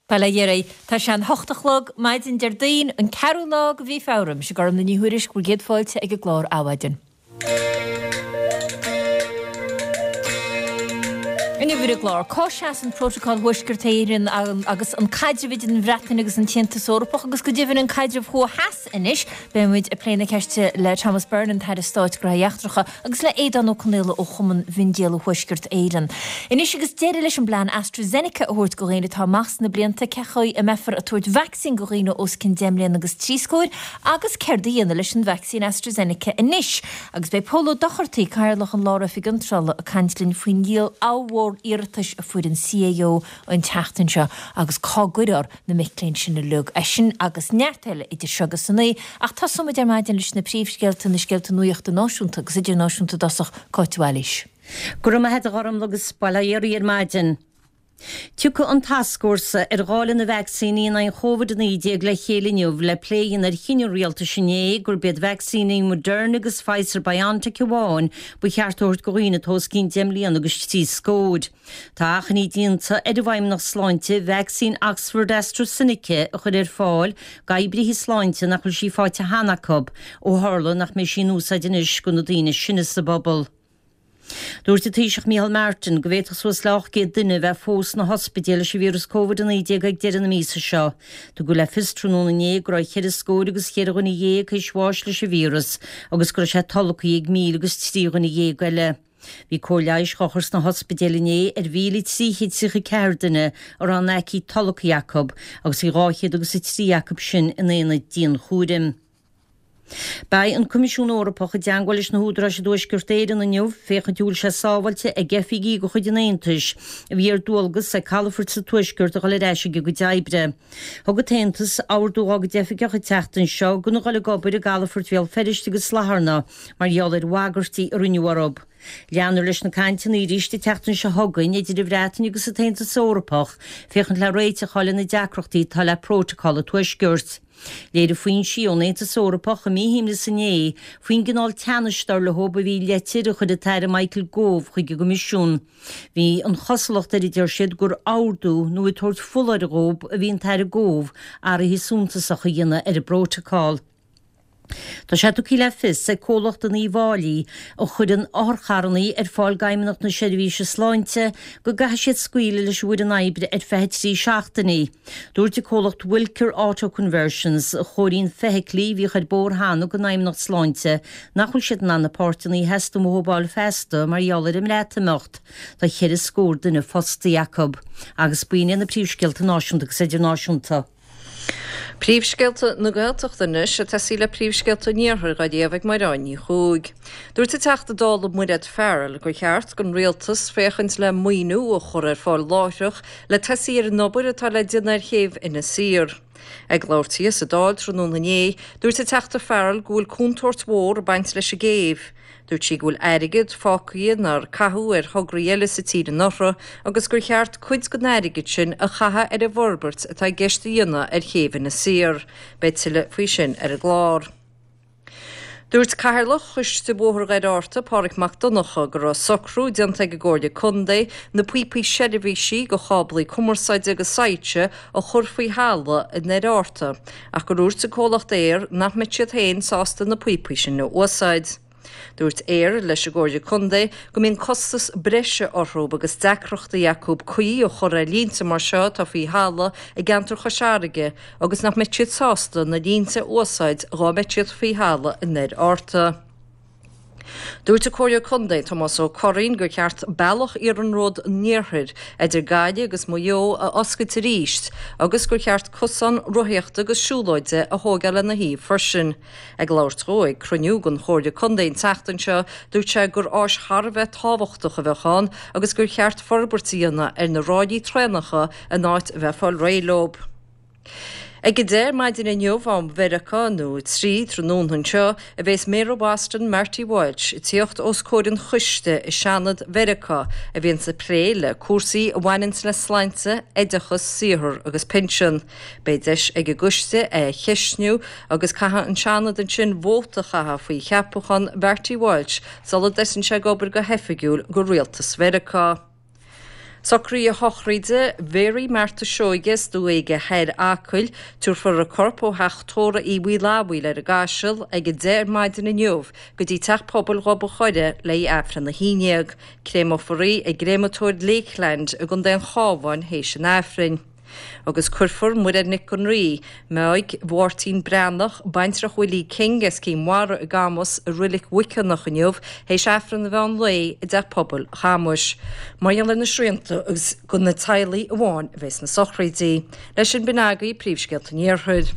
Bail ó Dhia oraibh. Tá sé an hocht a chlog maidin Déardaoin, an ceathrú lá de mhí Feabhra. Mise Gormfhlaith Ní Thuairisg, bhur gcéad fáilte ag an gclár Adhmhaidin. Inniu ar an gclár, cá seasann Prótocol Thuaisceart Éireann agus an caidreamh idir an Bhreatain agus an tAontas Eorpach agus go deimhin an caidreamh thuaidh-theas anois? Beidh muid ag plé na ceiste le Thomas Byrne, an tAire Stáit Gnóthaí Eachtracha, agus le Aodán Ó Conaola ó Chumann Mhiondíola Thuaisceart Éireann. Anois agus deireadh leis an bplean AstraZeneca a thabhairt do dhaoine atá amach sna blianta, cén chaoi a mbeifear ag tabhairt vacsaín do dhaoine os cionn 10 mbliana agus 30 scór agus céard a dhéanamh leis an vacsaín AstraZeneca anois? Agus beidh Pól Ó Dochartaigh, Cathaoirleach an Lár-Oifig Iontrála, ag caint linn faoin dhíol ollmhór iarratais a fuair an CAO an tseachtain seo agus cá gcuirfear na mic léinn sin uilig. É sin agus neart eile idir seo agus a naoi, ach tosóidh muid ar maidin leis na príomhscéalta, na scéalta nuachta náisiúnta agus idirnáisiúnta i dtosach, Cáit de Bhailís. Go raibh maith a't a Ghormfhlaith agus bail ó Dhia oraibh ar maidin. Tiocfaidh an tascfhórsa ar dháileadh na vacsaíní in aghaidh an Chóvid-19 le chéile inniu le plé a dhéanamh ar chinneadh an rialtais inné gurb iad vacsaíní Moderna agus Pfizer-BioNTech amháin ba cheart a thabhairt do dhaoine atá os cionn 10 mbliana agus 3 scóir. Tá achainí déanta ar an bhFeidhmeannacht Sláinte vacsaín Oxford-AstraZeneca a chur ar fáil d'oibrithe sláinte nach bhfuil sí faighte cheana acu ó tharla nach mbeidh sí in úsáid anois do na daoine is sine sa bpobal. Dúirt an Taoiseach Micheál Martin go bhféadfadh suas le 800 duine a bheith fós sna hospidéil leis an víreas Covid-19 ag deireadh na míosa seo. Tugadh le fios tráthnóna inné go raibh cheithre scór agus cheithre dhuine dhéag théis bháis leis an víreas agus go raibh sé tolgtha ag 1,003 dhuine dhéag eile. Bhí cóir leighis dhá chur sna hospidéil inné ar 1,334 duine a raibh an aicíd tolgtha acu agus bhí 203 acu sin in aonaid dianchúraim. Beidh an Coimisiún Eorpach i dteangmháil leis na húdaráis i dTuaisceart Éireann inniu féachaint an bhfuil sé sábháilte ag oifigigh de chuid an Aontais a bhí ar dualgas ag calafoirt sa Tuaisceart a dhul ar ais ag a gcuid oibre. Thug an tAontas ordú dá gcuid oifigeach an tseachtain seo gan a dhul ag obair i gcalafoirt Bhéal Feirste agus Latharna mar gheall ar bhagairtí a rinneadh orthu. Leanfar leis na cainteanna arís an tseachtain seo chugainn idir an Bhreatain agus an tAontas Eorpach féachaint le réiteach a fháil ar na deacrachtaí atá le Prótacal an Tuaiscirt. Léirigh foinsí ón Aontas Eorpach a míshuaimhneas inné faoin gcineál teannais, dar leo, a bhí i leitir a chuir an tAire Michael Gove chuig an gCoimisiún. Bhí an chosúlacht air, a deir siad, gur ordú nó ag tabhairt foláireamh dhóibh a bhí an tAire Gove athruithe suntasacha a dhéanamh ar an bprótacal. Tá sé tugtha le fios ag comhlacht in Uíbh Fhailí a chuireann otharcharranna ar fáil d'Fheidhmeannacht na Seirbhíse Sláinte go gcaithfidh siad scaoileadh leis an bhfoireann oibre ar feadh 3 seachtainí. Dúirt an comhlacht Wilker Auto Conversions, a chóiríonn feithiclí a bhíodh ar bóthar cheana don Fheidhmeannacht Sláinte, nach bhfuil siad in ann na páirteanna a theastaíonn uathu a fháil feasta mar gheall ar an mBreatimeacht. Tá cheithre scór duine fostaithe acu. Agus b'in iad na príomhscéalta náisiúnta agus idirnáisiúnta. Príomhscéalta na Gaeltachta anois, ag tosaí le príomhscéalta an Iarthair dhá léamh ag Mairéad Ní Chuaig. Dúirt an Teachta Dála Mairéad Farrell gur cheart don Rialtas féachaint le maoiniú a chur ar fáil láithreach le tosaí ar an obair atá le déanamh ar chéibh Inis Oírr. Ag labhairt di sa Dáil tráthnóna inné, dúirt an Teachta Farrell go bhfuil contúirt mhór ag baint leis an gcéibh. Dúirt sí go bhfuil airgead fágtha nár caitheadh ar thograí eile sa tír anuraidh agus gur cheart cuid den airgead sin a chaitheamh ar an bhforbairt atá i gceist a dhéanamh ar chéibh Inis Oírr. Beidh tuilleadh faoi sin ar an gclár. Dúirt Cathaoirleach Choiste Bhóthar Dhoire Fhearta, Páraic Mac Donncha, go raibh socrú déanta ag an gComhairle Contae na píopaí seirbhísí do cháblaí cumarsáide agus soilse a chur faoi thalamh i nDoire Fhearta ach gur dhúirt an comhlacht Eir nach mbeadh siad féin sásta na píopaí sin a úsáid. Dúirt Eir leis an gComhairle Contae go mbíonn costas breise orthu agus deacrachtaí acu caoi a chur ar línte mar seo atá faoi thalamh i gceantar Chois Fharraige agus nach mbeadh siad sásta na línte a úsáid dhá mbeadh siad faoi thalamh i nDoire Fhearta. Dúirt an Comhairleoir Contae Tomás Ó Curraoin gur cheart bealach iarnród an iarthair idir Gaillimh agus Maigh Eo a oscailt arís agus gur cheart cosán rothaíochta agus siúlóide a thóigeáil lena thaobh freisin. Ag labhairt dhó ag cruinniú den Chomhairle Contae an tseachtain seo, dúirt sé gur áis thar a bheith tábhachtach a bheadh ann agus gur cheart forbairt a dhéanamh ar na ráillí traenacha in áit a bheith ag fáil réidh leo. Ag 10 ar maidin inniu, am Mheiriceá, nó 3 tráthnóna anseo, a bhéas Méara Boston, Marty Walsh, ag tíocht os comhair an choiste i Seanad Mheiriceá a bhíonns ag plé le cúrsaí a bhaineanns le slainte, oideachas, saothar agus pinsean. Beidh deis ag an gcoiste é a cheistniú agus caithfidh an Seanad ansin vóta a chaitheamh faoi cheapachán Mharty Walsh sula dtosaíonn sé ag obair go hoifigiúil do rialtas Mheiriceá. Socruithe shochraide Mhary Martha Seoige as Dumha Éige Thoir, Acaill. Tabharfar a corp ó theach tórraimh Uí Mhaolaodhaigh ar an gCaiseal ag 10 ar maidin inniu go dtí Teach Pobail Ghob an Choire le haghaidh Aifreann 11. Créameofar í i gCréamatóir Lakeland i gContae an Chabháin théis an Aifrinn. Agus cuirfear Muiréad Nic Con Rí, Meaig Mháirtín Breathnach, baintreach Willie King as Cinn Mhara i gCamus i Roilic Mhuiceanach inniu théis Aifreann an mheán lae i dTeach Pobail Chamuis. Mar gheall ar na srianta is do na teaghlaigh amháin a bheas na sochraidí. Leis sin b'in agaibh príomhscéalta an Iarthair.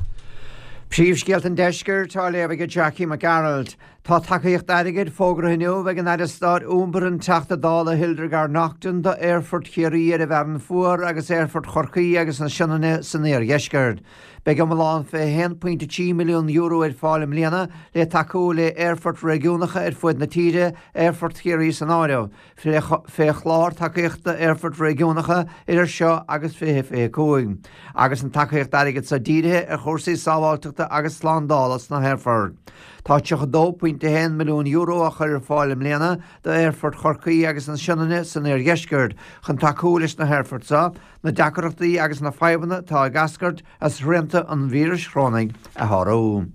Príomhscéalta an Deiscirt á léamh ag Jackie Mac Gearailt. Tá tacaíocht airgid fógartha inniu ag an Aire Stáit Iompair an Teachta Dála Hildegarde Naughton do Aerfort Chiarraí ar an bhFearann Fuar agus Aerfort Chorcaí agus na Sionainne san iardheisceart. Beidh iomlán €21.3 milliún ar fáil i mbliana le tacú le aerfoirt réigiúnacha ar fuaid na tíre, Aerfort Chiarraí san áireamh. fé Chlár Tacaíochta Aerfoirt Réigiúnacha idir seo agus 2025, agus an tacaíocht airgid so dírithe ar chúrsaí sábháilteachta agus slándála sna haerfoirt. Tá €32.1 milliún á chur ar fáil i mbliana d'Aerfort Chorcaí agus na Sionainne san iardheisceart chun tacú leis na haerfoirt so na deacrachtaí agus na fadhbanna atá ag eascairt as srianta an víris chorónaigh a shárú.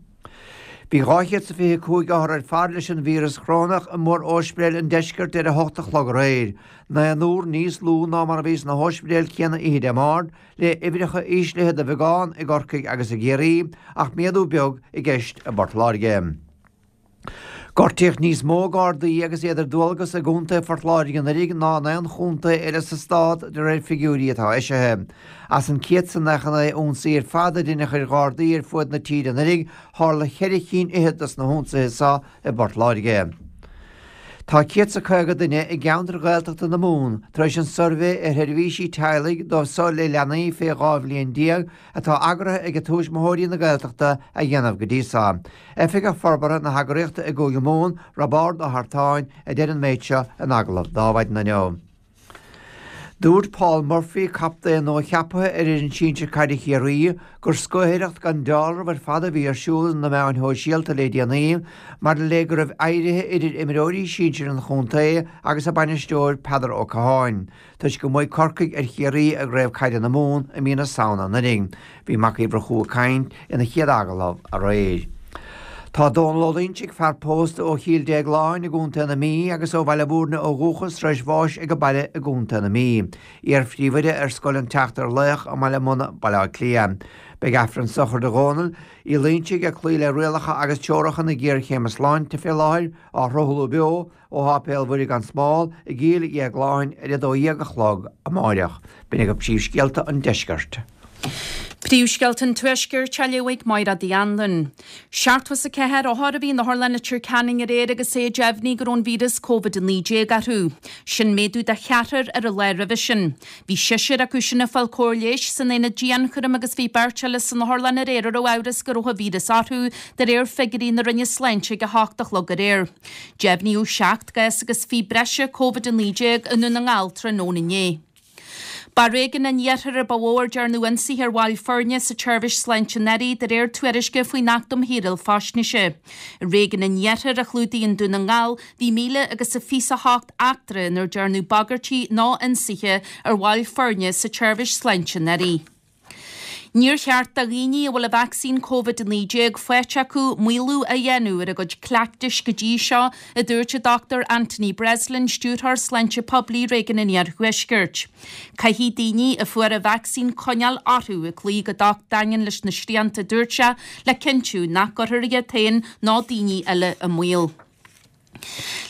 Bhí 225 othar ar fad leis an víreas chorónach i mór-óispidéil an deiscirt ar a hocht a chlog aréir, naonúr níos lú ná mar a bhí sna hóispidéil chéanna oíche Dé Máirt, le uimhreacha íslithe de bheagán i gCorcaigh agus i gCiarraí, ach méadú beag i gceist i bPort Láirge. Gortaíodh níos mó Gardaí agus iad ar dualgas i gContae Phort Láirge anuraidh ná in aon chontae eile sa stát, de réir figiúirí atá eisithe. As an 199 ionsaí ar fad a deineadh ar Ghardaí ar fuaid na tíre anuraidh, tharla cheithre chinn fhichead dos na hionsaithe so i bPort Láirge. Tá 150 duine i gceantar Ghaeltachta na Mumhan tar éis an suirbhé ar sheirbhísí teaghlaigh dóibh so le leanaí fé 12 bhliain atá eagraithe ag Tuismitheoirí na Gaeltachta a dhéanamh go dtí so. Oifigeach Forbartha na heagraíochta i gCúige Mumhan, Roibeárd Ó hEartáin, a deir an méid seo in agallamh d'Adhmhaidin inniu. Dúirt Paul Murphy, captaen nua-cheaptha ar fhoireann sinsir caide Chiarraí, gur scaotaireacht gan dealramh ar fad a bhí ar siúl ar na meáin shóisialta le déanaí maidir le go raibh éirithe idir imreoirí sinsir an chontae agus a bainisteoir Peadar Ó Catháin. Toisc go mbuaigh Corcaigh ar Chiarraí i gCraobh Caide na Mumhan i mí na Samhna anuraidh. Bhí Mac Uí Mhurchú ag caint ina chéad agallamh aréir. Tá Dónal Ó Loinsigh, fear pósta ó Chill Déagláin i gContae na Mí agus ó Bhaile Mhúirne ó dhúchas, tar éis bháis ag a baile i gContae na Mí. Iar-phríomhoide ar Scoil an tSeachtar Laoch i mBaile Munna, Baile Átha Cliath. Beidh Aifreann sochraide Dhónaill Uí Loinsigh, ag cloí le rialacha agus teoracha na géarchéime sláinte fé láthair, á shruthlú beo Ó Sháipéal Mhuire gan Smál i gCill Dhéagláin ar 12 a chlog amáireach. B'in agaibh príomhscéalta an deiscirt. Príomhscéalta an Tuaiscirt á léamh ag Máire Uí Anluain. 74 othar a bhí in Otharlann Leitir Ceanainn aréir agus é deimhnithe go raibh an víreas Covid-19 orthu. Sin méadú de cheathrar ar an lá roimhe sin. Bhí seisear acu sin ag fáil cóir leighis san aonad dianchúraim agus bhí beirt eile san otharlann aréir a raibh amhras go raibh an víreas orthu, de réir figiúirí na Roinne Sláinte ag 8 a chlog aréir. Deimhníodh 7 gcás agus 20 breise Covid-19 i nDún na nGall tráthnóna inné. Ba i réigiún an iarthair a ba mhó ar dearnadh ionsaithe ar bhaill foirne sa tseirbhís sláinte anuraidh, de réir tuairisce faoin Acht um Shaoráil Faisnéise. I réigiún an iarthair, a chlúdaíonn Dún na nGall, bhí míle agus a 28 eachtra inar dearnadh bagairtí nó ionsaithe ar bhaill foirne sa tseirbhís sláinte anuraidh. Níor cheart do dhaoine a bhfuil an vacsaín Covid-19 faighte acu maolú a dhéanamh ar a gcuid cleachtais go dtí seo, a dúirt an Dr Anthony Breslin, Stiúrthóir Sláinte Poiblí Réigiún an Iarthuaiscirt. Caithfidh daoine a fuair an vacsaín coinneáil orthu ag cloí go docht daingean leis na srianta, a dúirt sé, le cinntiú nach gcuirfear iad féin ná daoine eile i mbaol.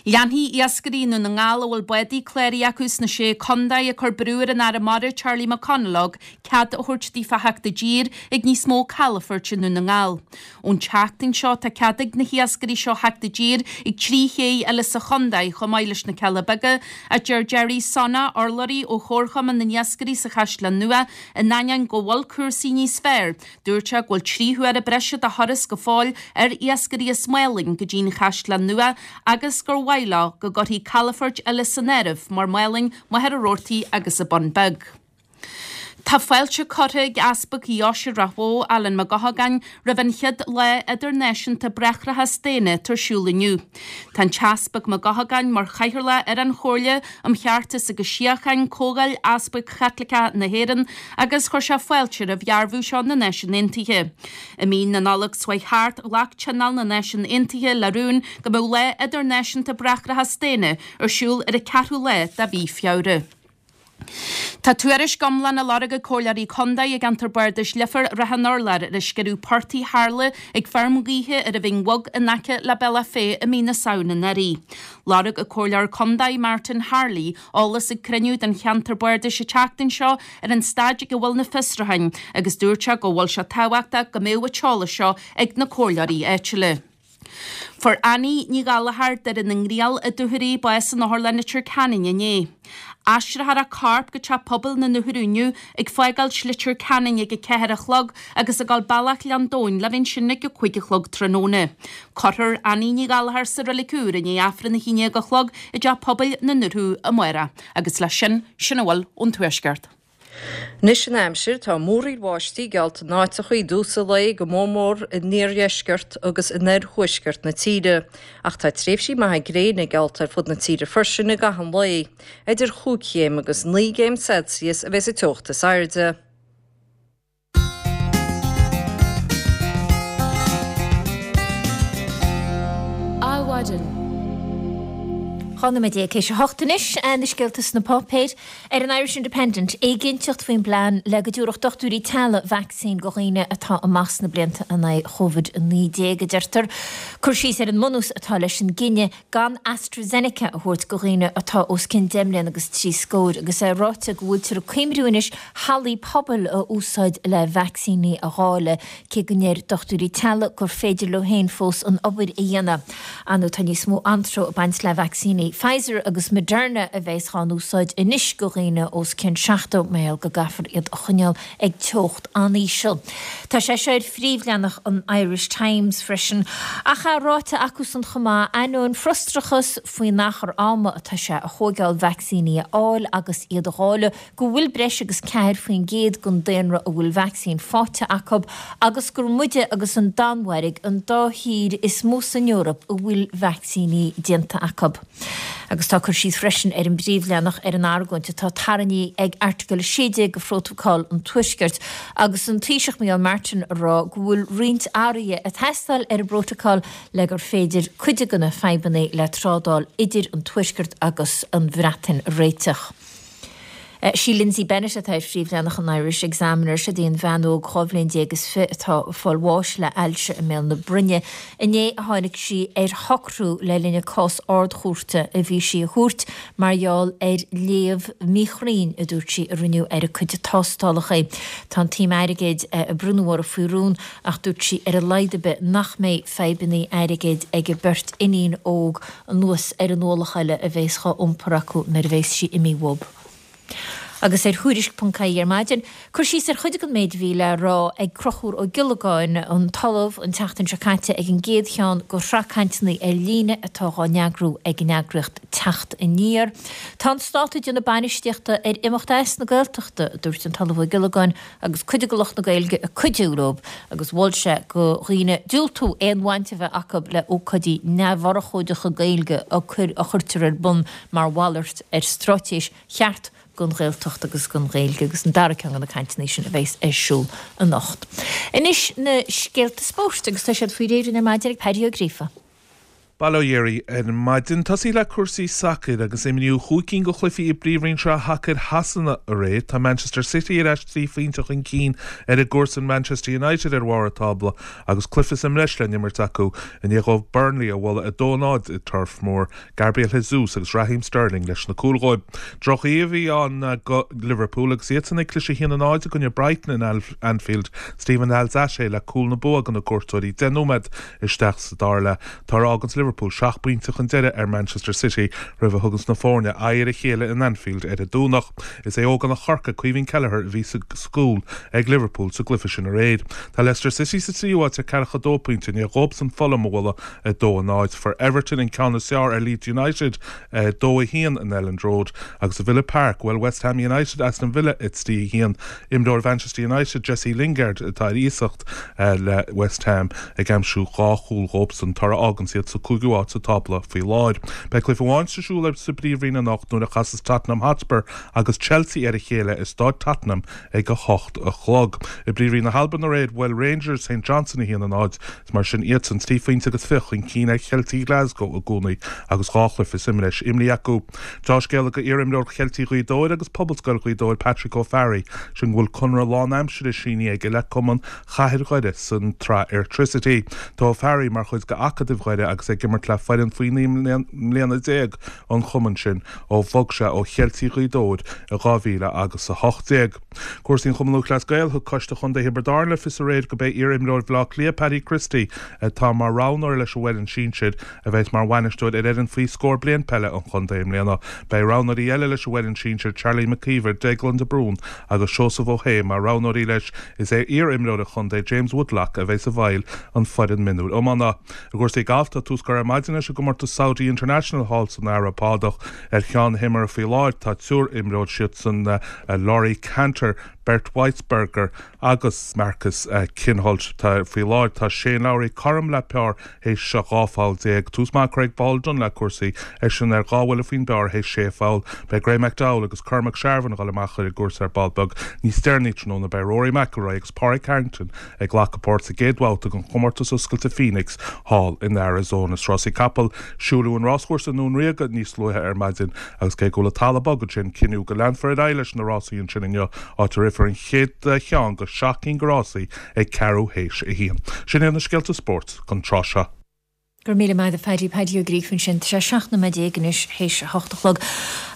Leanfaidh iascairí i nDún na nGall a bhfuil bádaí cláraithe acu sna Sé Contae ag cur brú ar an Aire Mara Charlie McConalogue cead a thabhairt daofa theacht i dtír ag níos mó calafoirt i Ndún na nGall. Ón tseachtain seo tá cead ag na hiascairí seo theacht i dtír ag 3 ché eile sa chontae chomh maith leis na Cealla Beaga, a deir Gerry Sonna, urlabhraí ó Chomharchumann na nIascairí sa Chaisleán Nua, in ainneoin go bhfuil cúrsaí níos fearr Dúirt sé go bhfuil 3 huaire breise de thuras go fóill ar iascairí as Málainn go dtí'n Chaisleán Nua agus gur mhaith leo go gcuirfí calafoirt eile san áireamh mar Málainn, Machaire Rabhartaigh agus an Bun Beag. Tá fáilte curtha ag Easpag Dheoise Ráth Bhoth, Alan Mac Eochagáin, roimh an chéad Lá Idirnáisiúnta Bráithreachas Daonna atá ar siúl inniu. Tá an tEaspag Mac Eochagáin mar chathaoirleach ar an Chomhairle um Cheartas agus Síocháin, Comhdháil Easpaig Chaitliceacha na hÉireann, agus chuir sé fáilte roimh dhearbhú seo na Náisiún Aontaithe. I mí na Nollag seo chuaigh thart, ghlac Tionól na Náisiún Aontaithe le rún go mbeadh Lá Idirnáisiúnta Bráithreachas Daonna ar siúl ar an ceathrú lá de mhí Feabhra. Tá tuairisc iomlán á lorg ag Comhairleoirí Contae i gceantar Bardais Leifear Ráth an Urláir ar an sciorradh portaigh a tharla ag feirm ghaoithe ar an Bhinn Bhog in aice le Bealach Féich i mí na Samhna anuraidh. Lorg an Comhairleoir Contae Martin Harley eolas ag cruinniú den cheantar bardais an tseachtain seo ar an staid ag a bhfuil na fiosrúcháin agus dúirt sé go bhfuil sé tábhachtach go mbeadh an t-eolas seo ag na comhairleoirí áitiúla. Fuair Annie Ní Ghallchóir, Doire na nGriall i Dúchoraidh, bás in Otharlann Leitir Ceanainn inné. Aistreofar a corp go Teach Pobail na nOthar inniu ag fágáilt Leitir Ceanainn ag a ceathair a chlog agus ag dul bealach Ghleann Domhain le bheith ansin ag a cúig a chlog tráthnóna. Cuirfear Annie Ní Ghallchóir sa Reilig Úr i ndiaidh Aifreann a haon déag a chlog i dTeach Pobail na nOthar amárach. Agus leis sin, sin a bhfuil ón Tuaisceart. Anois an aimsir, tá múraíl bháistí geallta in áiteachaí i dtús an lae, go mór mór in iardheisceart agus in oirthuaisceart na tíre, ach tá tréimhsí maithe gréine geallta ar fud na tíre freisin i gcaitheamh an lae. Idir chúig chéim agus naoi gcéim Celsius a bheas an teocht is airde. Adhmhaidin. 12 nóiméad théis a hocht anois, na scéalta sna páipéir. Ar an Irish Independent, éiginnteacht faoin bplean le go dtabharfadh dochtúirí teaghlaigh vacsaín go dhaoine atá amach sna blianta in aghaidh Covid-19, a deirtear. Cur síos ar an mbunús atá leis an gcinneadh gan AstraZeneca a thabhairt go dhaoine atá os cionn deich mbliana agus trí scóir, agus é ráite go bhfuiltear ag cuimriú anois hallaí pobail a úsáid le vacsaíní a dháileadh, cé go ndeir dochtúirí teaghlaigh gur féidir leo féin fós an obair a dhéanamh. Ar ndóigh tá níos mó antró ag baint le vacsaíní Pfizer agus Moderna a bheas dhá n-úsáid anois go dhaoine os cionn 70 mar gheall go gcaithfear iad a choinneáil ag teocht an-íseal. Tá sé seo ar phríomhleathanach an Irish Times freisin. Ach é ráite acusan chomh maith, ainneoin frustrachas faoin achar ama atá sé a thóigeáil vacsaíní a fháil agus iad a dháileadh, go bhfuil breis agus 4% den daonra a bhfuil vacsaín faighte acu agus gur muide agus an Danmhairg an dá thír is mó san Eoraip a bhfuil vacsaíní déanta acu. Agus tá cur síos freisin ar an bpríomhleathanach ar an argóint atá tarraingthe ag Airteagal 16 de Phrótacal an Tuaiscirt agus an Taoiseach Micheál Martin ag rá go bhfuil roinnt athruithe ag teastáil ar an bprótacal le gur féidir cuid de na fadhbanna le trádáil idir an Tuaisceart agus an Bhreatain a réiteach. Sí Lindsay Bennett atá ar phríomhleathanach an Irish Examiner. Siod í an bhean óg 12 bhliain is fi atá ag fáil bháis le ailse i mbéal na broinne. Inné a tháinig sí ar shocrú le linn a cás ardchúirte a bhí sí a thabhairt mar gheall ar léamh míchruinn a dúirt sí a rinneadh ar a cuid tástálacha. Tá an tsuim airgid a bronnadh uirthi faoi rún ach dúirt sí ar a laghad ar bith nach mbeidh fadhbanna airgid ag a beirt iníon óg anuas ar an ualach eile a bheas dhá iompar acu nuair a bheas sí imithe uathu. Agus ar Thuairisc ponc ie ar maidin, cur síos ar chuid den méid a bhí le rá ag Conchúr Ó Giollagáin, an tOllamh, an tseachtain seo caite ag an gcéad cheann de shraith cainteanna ar líne atá dhá n-eagrú ag an eagraíocht Teacht Aniar. Tá an Stát ag déanamh bainistíochta ar imeacht as na Gaeltachta, a dúirt an tOllamh Ó Giollagáin, agus cuid de lucht na Gaeilge ag cuidiú leo agus mhol sé go dhaoine diúltú aon bhaint a bheith acu le ócáidí neamhurchóideacha Gaeilge a chuirtear ar bun mar mhalairt ar straitéis cheart don Ghaeltacht agus don Ghaeilge agus an dara ceann de na cainteanna sin a bheas ar siúl anocht. Anois na scéalta spóirt agus tá siad faoi réir ar maidin ag Paddy Ó Gríofa. Bail ó Dhia oraibh ar maidin. Tosaí le cúrsaí sacair agus imríodh chúig cinn de chluichí i bPríomhroinn Sraith Shacair Shasana aréir. Tá Manchester City ar ais trí phointe chun cinn ar a gcomharsain Manchester United ar bharr an tábla agus cluiche sa mbreis le n-imirt acu i ndiaidh dóibh Burnley a bhualadh 2-0 i Turf Moor. Gabriel Jesus agus Raheem Sterling leis na cúil dhóibh. Droch-oíche a bhí ann go Liverpool agus iadsan ag cliseadh 1-0 i gcoinne Brighton in Anfield. Steven Alzate le cúl na bua do na cuairteoirí deich nóiméad isteach sa dara leath. Tá ar fhágaint. Liverpool seacht bpointe chun deiridh ar Manchester City roimh a thuganns na foirne aghaidh ar a chéile in Anfield ar an Domhnach. Is é ógánach Chorcaí, Caoimhín Kelleher, a bhí sa gcúl ag Liverpool sa gcluiche sin aréir. Tá Leicester City sa tríú háit ar 42 pointe i ndiaidh dhóibhsan Fulham a bhualadh 2-0. Fuair Everton an ceann is fearr ar Leeds United, 2-1 in Elland Road, agus i Villa Park, bhuail West Ham United Aston Villa 3-1. Imreoir Mhanchester United, Jesse Lingard, atá ar iasacht le West Ham, ag aimsiú dhá chúl dhóibhsan, toradh a fháganns iad sa cúigiú háit sa tábla faoi láthair. Beidh cluiche amháin sa siúl sa bPríomhroinn anocht nuair a chasas Tottenham Hotspur agus Chelsea ar a chéile i Stáid Tottenham ag a hocht a chlog. I bPríomhroinn na hAlban aréir, bhuail Rangers St Johnstone 1-0. Is mar sin iadsan trí phointe agus fiche chun cinn ar Cheiltigh Ghlasgow i gcónaí agus dhá chluiche sa mbreis imrithe acu. Deá-scéala do iar-imreoir Cheiltigh Ghaoth Dobhair agus Pobalscoil Ghaoth Dobhair Patrick Ó Fearraigh, sin go bhfuil conradh lán-aimsire sínithe aige le cumann Chathair Dhoire san tsraith Airtricity. Tá Ó Fearraigh mar chuid de Acadamh Dhoire agus é ag imirt le foireann faoi 19 mbliana an chumainn sin ó bhog sé ó Cheiltigh Ghaoth Dobhair i 2000 agus 18. Cúrsaí an Chumann Lúthchleas Gael, Thug Coiste Chontae Thiobraid Árann le fios aréir gurb é iar-imreoir Bhaile Átha Cliath Paddy Christie atá mar roghnóir leis an bhfoireann sinsir a bheas mar bhainisteoir ar fhoireann faoi scór bliain peile an chontae i mbliana. Beidh roghnóirí eile leis an bhfoireann sinsir Charlie McKeever, Deaglán de Brún agus Seosamh Ó hAodha mar roghnóirí leis. Is é iar-imreoir an chontae James Woodlock a bheas i bhfeighil an foireann mionúir iomána. I gcúrsaí gailf tá tús curtha ar maidin leis an gcomórtas Saudi International thall san Araib Shádach. Ar cheann na himeartha faoi láthair tá triúr imreoir, siadsan Laurie Canter, Bernd Wiesberger agus Marcus Kinhult. Faoi láthair tá Shane Lowry cothrom le pár théis 12 pholl. Tús maith curtha ag Paul Dunne le cúrsaí, eisean ar dhá bhuille faoin bpár théis sé pholl. Beidh Graeme McDowell agus Cormac Sharvin ag dul amach ar an gcúrsa ar ball beag níos deireanaí tráthnóna. Beidh Rory McIlroy agus Pádraig Harrington ag glacadh páirt sa gcéad bhabhta den chomórtas oscailte Phoenix thall in Arizona. Is rásaí capall, siúladh an ráschúrsa i nDún Ríoga níos luaithe ar maidin agus cé go bhfuil an talamh bog ansin, cinneadh go leanfar ar aghaidh leis na rásaí ansin inniu, áit a rithfear an chéad cheann de sheacht gcinn de rásaí ag ceathrú théis a haon. Sin iad na scéalta spóirt don tráth seo. Go raibh míle maith agat a Phaddy, Paddy Ó Gríofa ansin. Tá sé 17 nóiméad anois théis a hocht a chlog.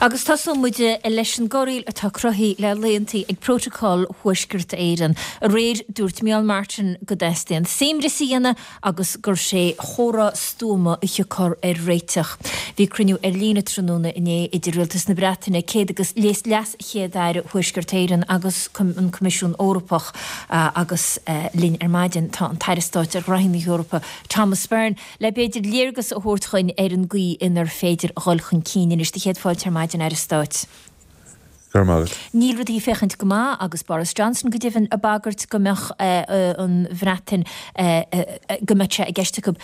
Agus tosóidh muid leis an gcorraíl atá cruthaithe le laethantaí ag Prótacal Thuaisceart Éireann. Aréir dúirt Micheál Martin go dteastaíonn suaimhneas a dhéanamh agus gur sé chomhrá stuama a thiocfar ar réiteach. Bhí cruinniú ar líne tráthnóna inné idir Rialtas na Breataine, céad agus Leas-Chéad-Aire Thuaisceart Éireann agus an Coimisiún Eorpach agus linn ar maidin tá an tAire Stáit ar Ghraithí na hEorpa, Thomas Byrne, le b'fhéidir léargas a thabhairt dhuinn ar an gcaoi inar féidir a dhul chun cinn anois. Do chéad fáilte ar maidin, Aire Stáit. Go raibh maith agat. Níl rudaí ag féachaint go maith agus Boris Johnson go deimhin ag bagairt go mbeadh an Bhreatain, go mbeadh sé i gceist acu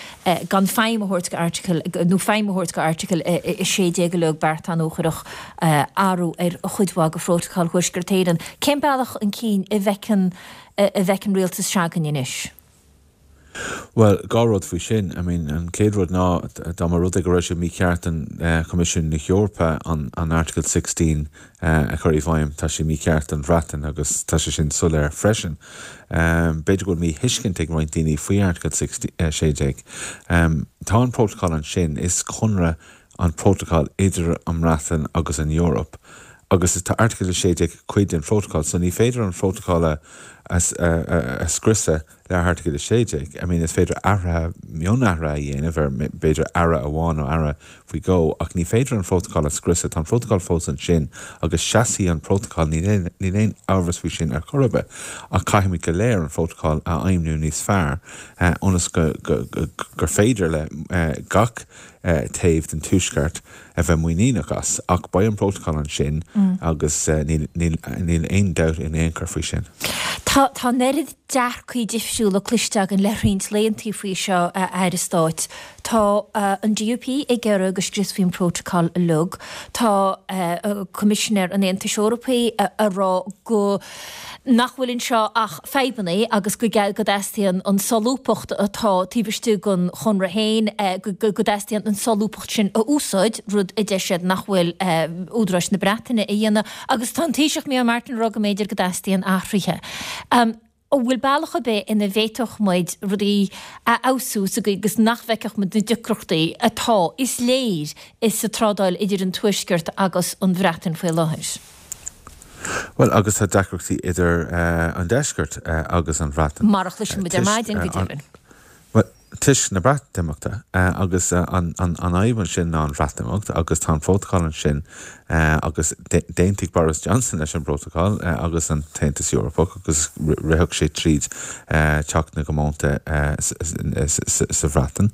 gan feidhm a thabhairt go Article, nó feidhm a thabhairt go Article 16 uilig, beart a chuirfeadh athrú ar chuid mhaith de Phrótacal Thuaisceart Éireann. Cén bealach chun cinn a bhfeiceann a bhfeiceann rialtas s'againne anois? Bhuel, dhá rud faoi sin. I mean, an chéad rud ná, dá mba rud é go raibh sé mícheart don Choimisiún na hEorpa an Article 16 a chur i bhfeidhm, tá sé mícheart don Bhreatain agus tá sé sin soiléir freisin. B'fhéidir go bhfuil míthuiscint ag roinnt daoine faoi Article 16. Tá an prótacal ansin, is conradh an prótacal idir an mBreatain agus an Eoraip agus tá Article 16 cuid den phrótacal, so ní féidir an prótacal a scriosadh le hAirteagal 16, I mean is féidir athruithe, mionathruithe a dhéanamh ar, b'fhéidir aire amháin nó aire faoi dhó, ach ní féidir an Prótacal a scriosadh, tá an Prótacal fós ansin agus seasfaidh an Prótacal, níl aon amhras faoi sin ar chor ar bith, ach caithfimid go léir an Prótacal a fheidhmiú níos fearr ionas go, go, gur féidir le gach taobh den Tuaisceart a bheith muiníneach as. Ach beidh an Prótacal ansin agus níl, níl, níl aon dabht in aon chor faoi sin. Tá, tá an oiread dearcaí difriúla cloiste againn le roinnt laethantaí faoi seo, a Aire Stáit. Tá an DUP ag iarraidh go scriosfaí an Prótacal uilig. Tá Coimisinéir an Aontais Eorpaigh ag rá go nach bhfuil anseo ach fadhbanna agus go dteastaíonn an solúbthacht atá taobh istigh den chonradh féin, go dteastaíonn an solúbthacht sin a úsáid, rud a deir siad nach bhfuil údaráis na Breataine a dhéanamh. Agus tá an Taoiseach Micheál Martin ag rá go mb'fhéidir go dteastaíonn athruithe. An bhfuil bealach ar bith ina bhféadfadh muid rudaí a fheabhsú sa gcaoi agus nach bhfeicfeadh muid na deacrachtaí atá, is léir, sa trádáil idir an Tuaisceart agus an Bhreatain faoi láthair? Bhuel, agus tá deacrachtaí idir an Deisceart agus an Bhreatain. Mar a chloiseann muid ar maidin, go deimhin. Bhuel. Toisc na Breatimeachta agus an fhadhb ansin ná an Bhreatimeacht agus tá an prótacal ansin agus d'aontaigh Boris Johnson leis an bprótacal agus an tAontas Eorpach agus ritheadh sé tríd Teach na gComónta sa Bhreatain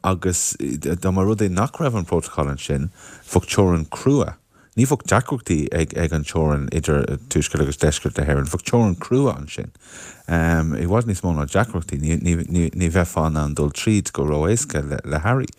agus dá mba rud é nach raibh an prótacal ansin bheadh teorainn crua Ní bheadh deacrachtaí ag an teorainn idir tuaisceart agus deisceart na hÉireann. Bheadh teorainn crua ansin. I bhfad níos mó ná deacrachtaí. Ní bheifeá in ann dul tríd go ró-éasca le hearraí.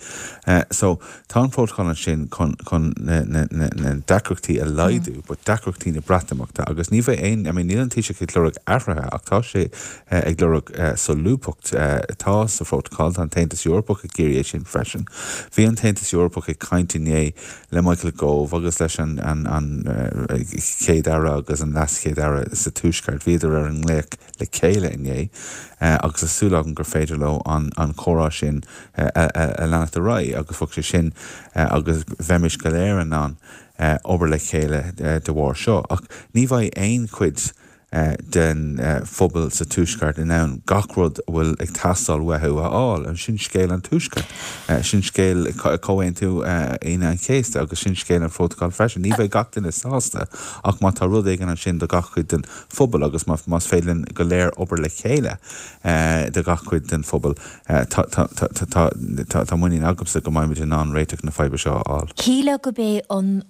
So, tá an prótacal ansin chun na deacrachtaí a laghdú, but deacrachtaí na Breatimeachta. Agus ní bheidh aon, I mean, níl an Taoiseach ag lorg athruithe ach tá sé ag lorg solúbthacht. Tá sa phrótacal, tá an tAontas Eorpach ag iarraidh é sin freisin. Bhí an tAontas Eorpach ag caint inné le Michael Gove agus leis an Chéad-Aire agus an LeasChéad-Aire sa Tuaisceart. Bhíodar ar an nglaoch le chéile inné agus tá súil agam gur féidir leo an comhrá sin a leanacht ar aghaidh agus bheadh sé sin agus bheimis go léir in ann obair le chéile de bharr seo. Ach ní bheidh aon chuid den phobal sa Tuaisceart in ann gach rud a bhfuil ag teastáil uathu a fháil. Sin scéal an Tuaiscirt. Sin scéal Chomhaontú Aoine an Chéasta agus sin scéal an Phrótacail freisin. Ní bheidh gach duine sásta ach má tá rud éigin ansin do gach cuid den phobal agus más féidir linn go léir obair le chéile do gach cuid den phobal, Tá muinín agamsa go mbeimid in ann réiteach na faidhbe seo a fháil. Shílfeá gurb é an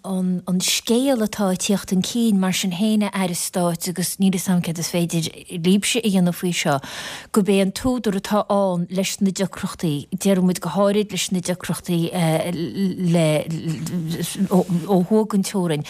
scéal atá ag tíocht chun cinn mar sin féin, a Aire Stáit, agus níl fhios agam céard is féidir libhse a dhéanamh faoi seo, gurb é an t-údar atá ann leis na deacrachtaí, déarfaidh muid go háirid leis na deacrachtaí le ó thuaidh den teorainn,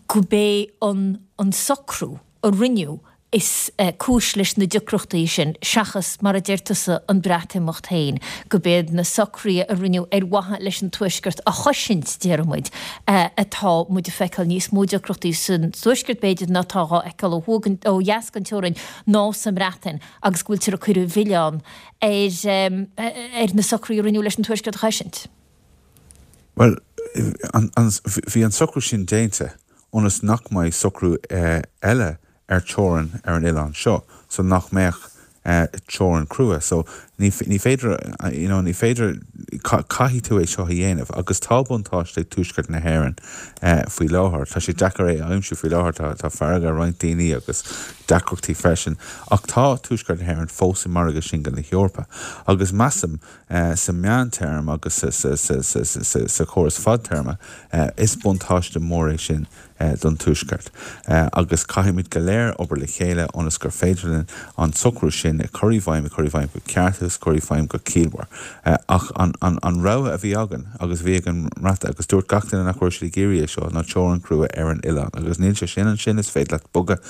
gurb é an socrú a rinneadh is cúis leis na deacrachtaí sin, seachas, mar a deir tusa, an Breatimeacht féin, gurb iad na socruithe a rinneadh ar mhaithe leis an Tuaisceart a chosaint, déarfaidh muid, atá muid ag feiceáil níos mó deacrachtaí san Tuaisceart, b'fhéidir, ná atá dhá fheiceáil ó thuaidh, ó dheas den teorainn, ná sa mBreatain, agus go bhfuiltear ag cur an mhilleáin ar na socruithe a rinneadh leis an Tuaisceart a chosaint. Bhuel, bhí an socrú sin déanta ionas nach mbeidh socrú eile ar teorainn ar an oileán seo so nach mbeadh teorainn crua so ní ní féidir you know ní féidir caithfidh tú é seo a dhéanamh agus tá buntáiste ag Tuaisceart na hÉireann faoi láthair tá sé deacair é a aimsiú faoi láthair tá tá fearg ar roinnt daoine agus deacrachtaí freisin ach tá Tuaisceart na hÉireann fós i margadh singil na hEorpa agus measaim sa meántéarma agus sa sa sa sa sa chóras fadtéarma is buntáiste mór é sin don Tuaisceart agus caithfimid go léir obair le chéile ionas gur féidir linn an socrú sin a chur i bhfeidhm, a chur i bhfeidhm go ceart agus a chur i bhfeidhm go ciallmhar. Ach an rogha a bhí againn agus a bhí ag an mBreatain, agus dúirt gach duine nach raibh siad ag iarraidh é seo, ná teorainn chrua ar an oileán agus níl sé sin ansin, is féidir leat bogadh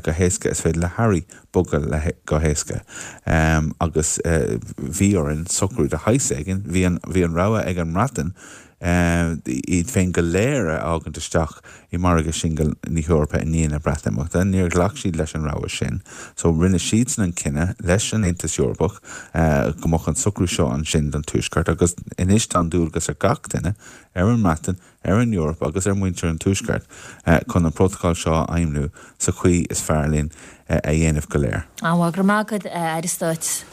go héasca, is féidir le hearraí bogadh go héasca agus bhí orainn socrú de shaghas éigin, bhí an rogha ag an mBreatain iad féin go léir a fhágaint isteach i margadh singil na hEorpa i ndiaidh na Breatimeachta. Níor ghlac siad leis an rogha sin. So rinne siadsan an cinneadh leis an Aontas Eorpach go mbeadh an socrú seo ansin don Tuaisceart agus anois tá an dualgas ar gach duine, ar an mBreatain, ar an Eoraip agus ar mhuintir an Tuaiscirt chun an prótacal seo a fheidhmiú sa chaoi is fearr linn a dhéanamh go léir. Go raibh maith agat, a Aire Stáit.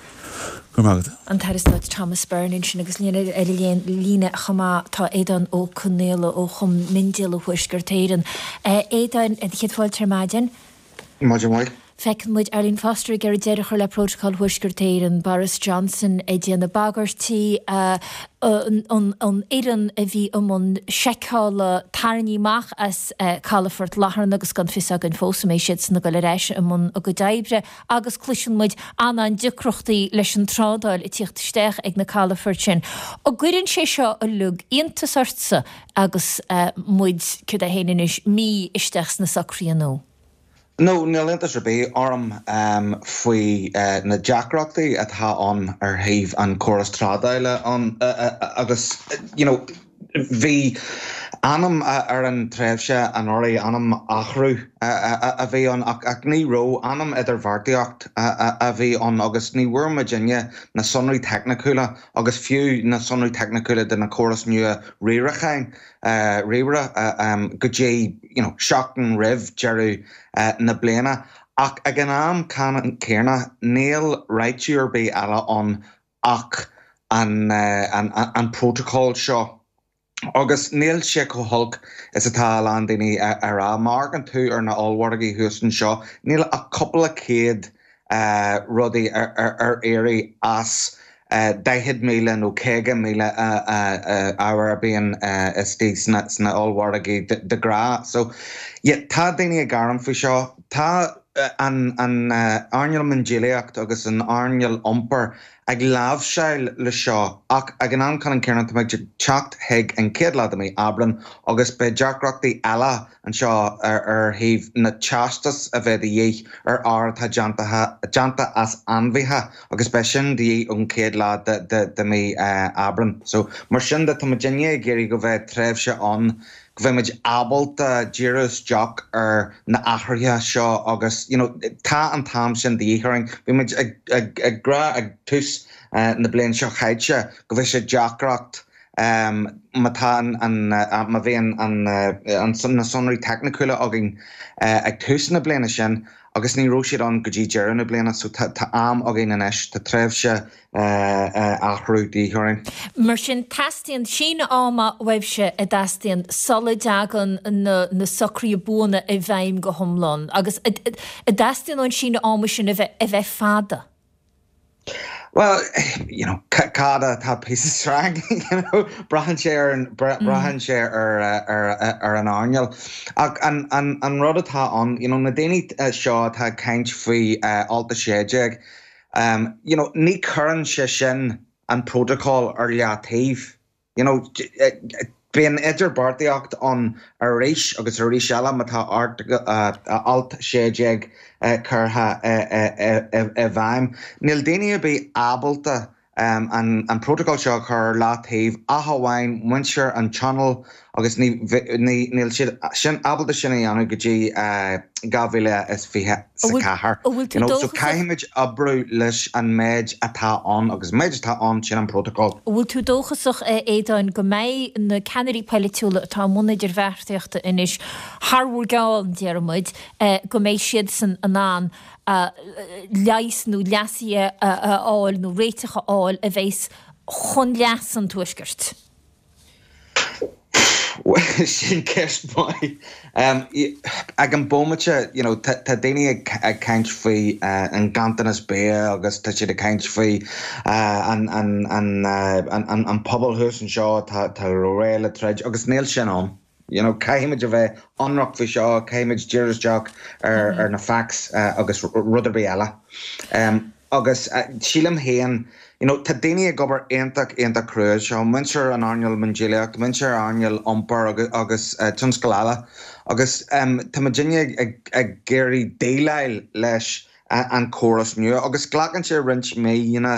Go raibh maith agat. An tAire Stáit Thomas Byrne ansin agus linn ar an líne chomh maith tá Aodán Ó Conaola ó Chumann Miondíola Thuaisceart Éireann. A Aodáin, céad fáilte ar maidin. Maidin mhaith. Feiceann muid Arlene Foster ag iarraidh deireadh a chur le Prótacal Thuaisceart Éireann, Boris Johnson ag déanamh bagairtí, an fhoireann a bhí i mbun seiceála tarraingthe amach as calafort Latharna agus gan fios againn fós an mbeidh siadsan ag dul ar ais i mbun a gcuid oibre agus cloiseann muid an-an-deacrachtaí leis an trádáil ag tíocht isteach ag na calafoirt sin. An gcuireann sé seo uilig iontas ortsa agus muid, céard é féin anois, mí isteach sna socruithe nua? No, níl iontas ar bith orm faoi na deacrachtaí atá ann ar thaobh an córas trádála ann agus you know bhí ainm ar an tréimhse anuraidh, ainm athrú a bhí ann ach ní raibh, ainm idirbheartaíocht a bhí ann agus ní bhfuair muidinne na sonraí teicniúla agus fiú na sonraí teicniúla de na córais nua riaracháin ríomhaire go dtí you know seachtain roimh deireadh na bliana. Ach ag an am céanna níl réiteach ar bith eile ann ach an prótacal seo. Agus níl sé chomh holc is atá a lán daoine a rá. Má amharcann tú ar na ollmhargaí thuas anseo, níl ach cúpla céad rudaí ar iarraidh as 40,000 nó 50,000 ábhar a bhíonn istigh sna ollmhargaí de ghnáth. So, yeah, tá daoine ag gearán faoi seo. Tá an earnáil miondíolaíocht agus an earnáil iompair ag láimhseáil le seo ach ag an am céanna tá muid ag teacht chuig an chéad lá de mhí Aibreán agus beidh deacrachtaí eile anseo ar thaobh na teastais a bheith de dhíth ar ábhair atá déanta as ainmhithe agus beidh sin de dhíth ón chéad lá de mhí Aibreán. So, mar sin de, tá muidinne ag iarraidh go bheidh tréimhse ann go bheidh muid ábalta díriú isteach ar na athruithe seo agus, you know, tá an t-am sin de dhíth orainn. Bhí muid ag rá ag tús na bliana seo chaite go bheidh sé deacracht Má tá an, má bhíonn na sonraí teicniúla againn ag tús na bliana sin agus ní raibh siad ann go dtí deireadh na bliana so tá am againn anois, tá tréimhse athrú de dhíth orainn. Mar sin, teastaíonn síneadh ama uaibhse a dteastaíonn sula dtagann na socruithe buana i bhfeidhm go hiomlán agus a dteastaíonn an síneadh ama sin a bheith fada. Bhuel, you know, cad atá píosa sreang, you know, braitheann sé ar an, braitheann sé ar, ar, ar an earnáil. Ach an, an, an rud atá ann, you know, na daoine seo atá ag caint faoi alt 16, you know, ní chuireann sé sin an protocol ar leataobh. You know, bíonn idirbheartaíocht ann arís agus arís eile má tá alt 16 curtha i bhfeidhm. Níl daoine ar bith ábalta an prótacal seo a chur ar leataobh ach amháin muintir an Tionóil agus níl siad sin ábalta sin a dhéanamh go dtí 2024. You know, so caithfimid oibriú leis an méid atá ann agus an méid atá ann sin an prótacal. An bhfuil tú dóchasach, a Aodáin, go mbeidh na ceannairí polaitiúla atá i mbun idirbheartaíochta anois thar bhur gceann, déarfaidh muid, go mbeidh siadsan in ann leigheas nó leasuithe a fháil nó réiteach a fháil a bheas chun leas an Tuaiscirt? Bhuel, sin ceist mhaith. Ag an bhomaite, you know, tá daoine ag caint faoi an ganntanas bia agus tá siad ag caint faoi an pobal thuas anseo atá réidh le troid agus níl sin ann. You know, caithfimid a bheith ionraic faoi seo, caithfimid díriú isteach ar na facts agus rud ar bith eile. Agus sílim féin, you know, tá daoine ag obair iontach, iontach crua anseo, muintir an earnáil miondíolaíocht, muintir earnáil iompair agus tionscail eile agus tá muidinne ag iarraidh déileáil leis an córas nua agus glacann sé roinnt míonna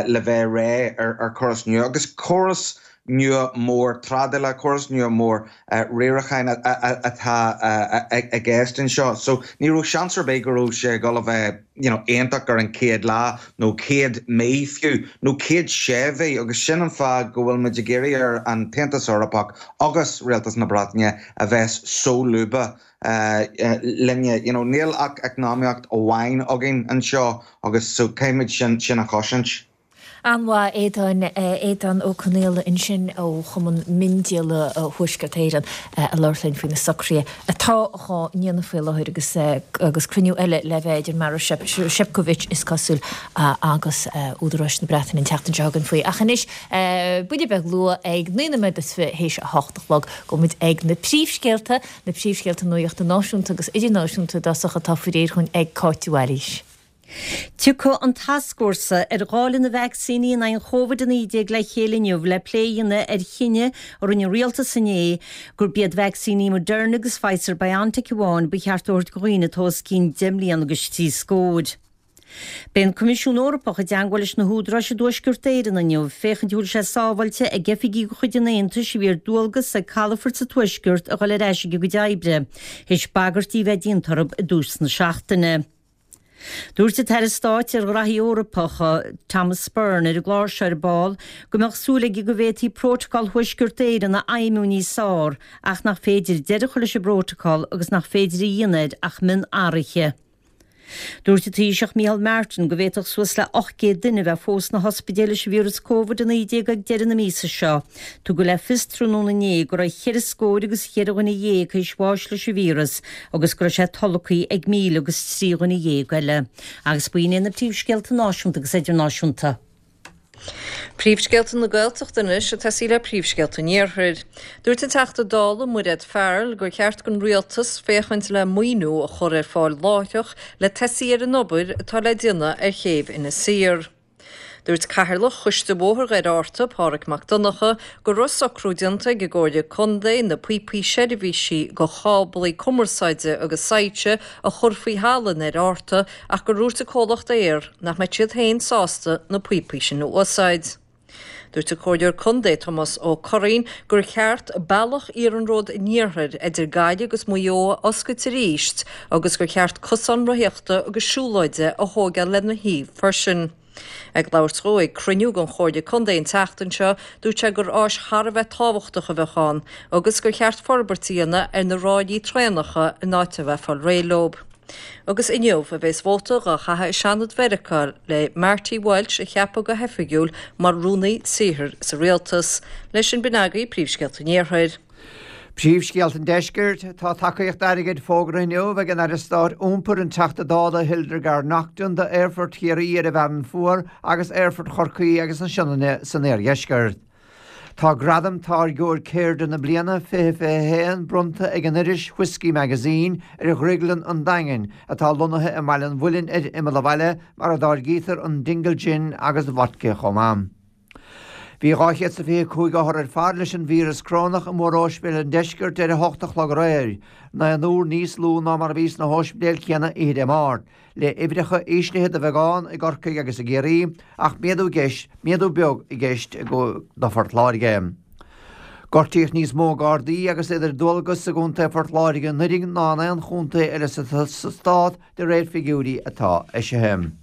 le bheith réidh ar chóras nua agus córas nua mór trádála, córas nua mór riaracháin atá i gceist anseo. So ní raibh seans ar bith go raibh sé ag dul a bheith you know iontach ar an chéad lá nó chéad mí fiú nó chéad sé mhí agus sin an fáth go bhfuil muid ag iarraidh ar an tAontas Eorpach agus Rialtas na Breataine a bheith solúbtha linne. You know, níl ach eacnamaíocht amháin againn anseo agus so caithfimid sin, sin a chosaint. An-mhaith, Aodán, Aodán Ó Conaola ansin ó Chumann Miondíola Thuaisceart Éireann ag labhairt linn faoi na socruithe atá á ndéanamh faoi láthair agus agus cruinniú eile le bheith idir Maroš Šefčovič is cosúil agus údaráis na Breataine an tseachtain seo chugainn faoi. Ach anois, buille beag luath ag 9 nóiméad is fiche théis a hocht a chlog, gabhfaidh muid ag na príomhscéalta Na príomhscéalta nuachta náisiúnta agus idirnáisiúnta i dtosach atá faoi réir dhúinn ag Cáit de Bhailís. Tiocfaidh an tascfhórsa ar dháileadh na vacsaíní in aghaidh an Chóvid-19 le chéile inniu le plé a dhéanamh ar chinneadh a rinne an rialtas inné gurb iad vacsaíní Moderna agus Pfizer-BioNTech amháin ba cheart a thabhairt do dhaoine atá os cionn 10 mbliana agus trí scór. Beidh an Coimisiún Eorpach i dteangmháil leis na húdaráis i dTuaisceart Éireann inniu féachaint an bhfuil sé sábháilte ag oifigigh de chuid an Aontais a bhí ar dualgas ag calafoirt sa Tuaisceart a dhul ar ais ag a gcuid oibre, théis bagairtí a bheith déanta orthu i dtús na seachtaine. Dúirt an tAire Stáit ar Ghraithí Eorpacha, Thomas Byrne, ar an gclár seo ar ball go mbeadh súil aige go bhféadfaí Prótacal Thuaisceart Éireann a fheidhmiú níos fearr ach nach féidir deireadh a chur leis an bprótacal agus nach féidir a dhéanamh air ach mionathruithe. Dúirt an Taoiseach Micheál Martin go bhféadfadh suas le 800 duine a bheith fós sna hospidéil leis an víreas Covid-19 ag deireadh na míosa seo. Tugadh le fios tráthnóna inné go raibh cheithre scór agus cheithre dhuine dhéag théis bháis leis an víreas agus go raibh sé tolgtha ag 1,003 dhuine dhéag eile. Agus b'in iad na príomhscéalta náisiúnta agus idirnáisiúnta. Príomhscéalta na Gaeltachta anois ag tosaí le príomhscéalta an Iarthair. Dúirt an Teachta Dála Mairéad Farrell gur cheart don Rialtas féachaint le maoiniú a chur ar fáil láithreach le tosaí ar an obair atá le déanamh ar chéibh Inis Oírr. Dúirt Cathaoirleach Choiste Bhóthar Dhoire Fhearta, Pádhraic Mac Donncha, go raibh socrú déanta ag an gComhairle Contae na píopaí seirbhísí do cháblaí cumarsáide agus soilse a chur faoi thalamh i nDoire Fhearta ach gur dhúirt an comhlacht Eir nach mbeadh siad féin sásta na píopaí sin a úsáid. Dúirt an Comhairleoir Contae Tomás Ó Curraoin gur cheart bealach iarnród an iarthair idir Gaillimh agus Maigh Eo a oscailt arís agus gur cheart cosán rothaíochta agus siúlóide a thóigeáil lena thaobh freisin. Ag labhairt dhó ag cruinniú den Chomhairle Contae an tseachtain seo, dúirt sé gur áis thar a bheith tábhachtach a bheadh ann agus gur cheart forbairt a dhéanamh ar na ráillí traenacha in áit a bheith ag fáil réidh leo. Agus inniu a bheas vóta dhá chaitheamh i Seanad Mheiriceá le Marty Walsh a cheapadh go hoifigiúil mar Rúnaí Saothair sa Rialtas. Leis sin b'in agaibh príomhscéalta an Iarthair. Príomhscéalta an Deiscirt, Tá tacaíocht airgid fógartha inniu ag an Aire Stáit Iompair, an Teachta Dála Hildegarde Naughton d'Aerfort Chiarraí ar an bhFearann Fuar agus Aerfort Chorcaí agus na Sionainne san Iardheisceart. Tá gradam Táirgeoir Ceirde na Bliana 2021 bronnta ag an iris Whiskey Magazine ar Dhrioglann an Daingin, atá lonnaithe i mBaile an Mhuilinn ar imeall an bhaile, mar a dtáirgítear an Dingle Gin agus Vodka chomh maith. Bhí 225 othar ar fad leis an víreas corónach i móróispidéil an deiscirt ar a hocht a chlog aréir, naonúr níos lú ná mar a bhí sna hóispidéil chéanna oíche Dé Máirt, le uimhreacha íslithe de bheagán i gCorcaigh agus i gCiarraí ach méadú gceist, méadú beag i gceist do Phort Láirge. Gortaíodh níos mó Gardaí agus iad ar dualgas i gContae Phort Láirge anuraidh ná in aon chontae eile sa stát de réir figiúirí atá eisithe.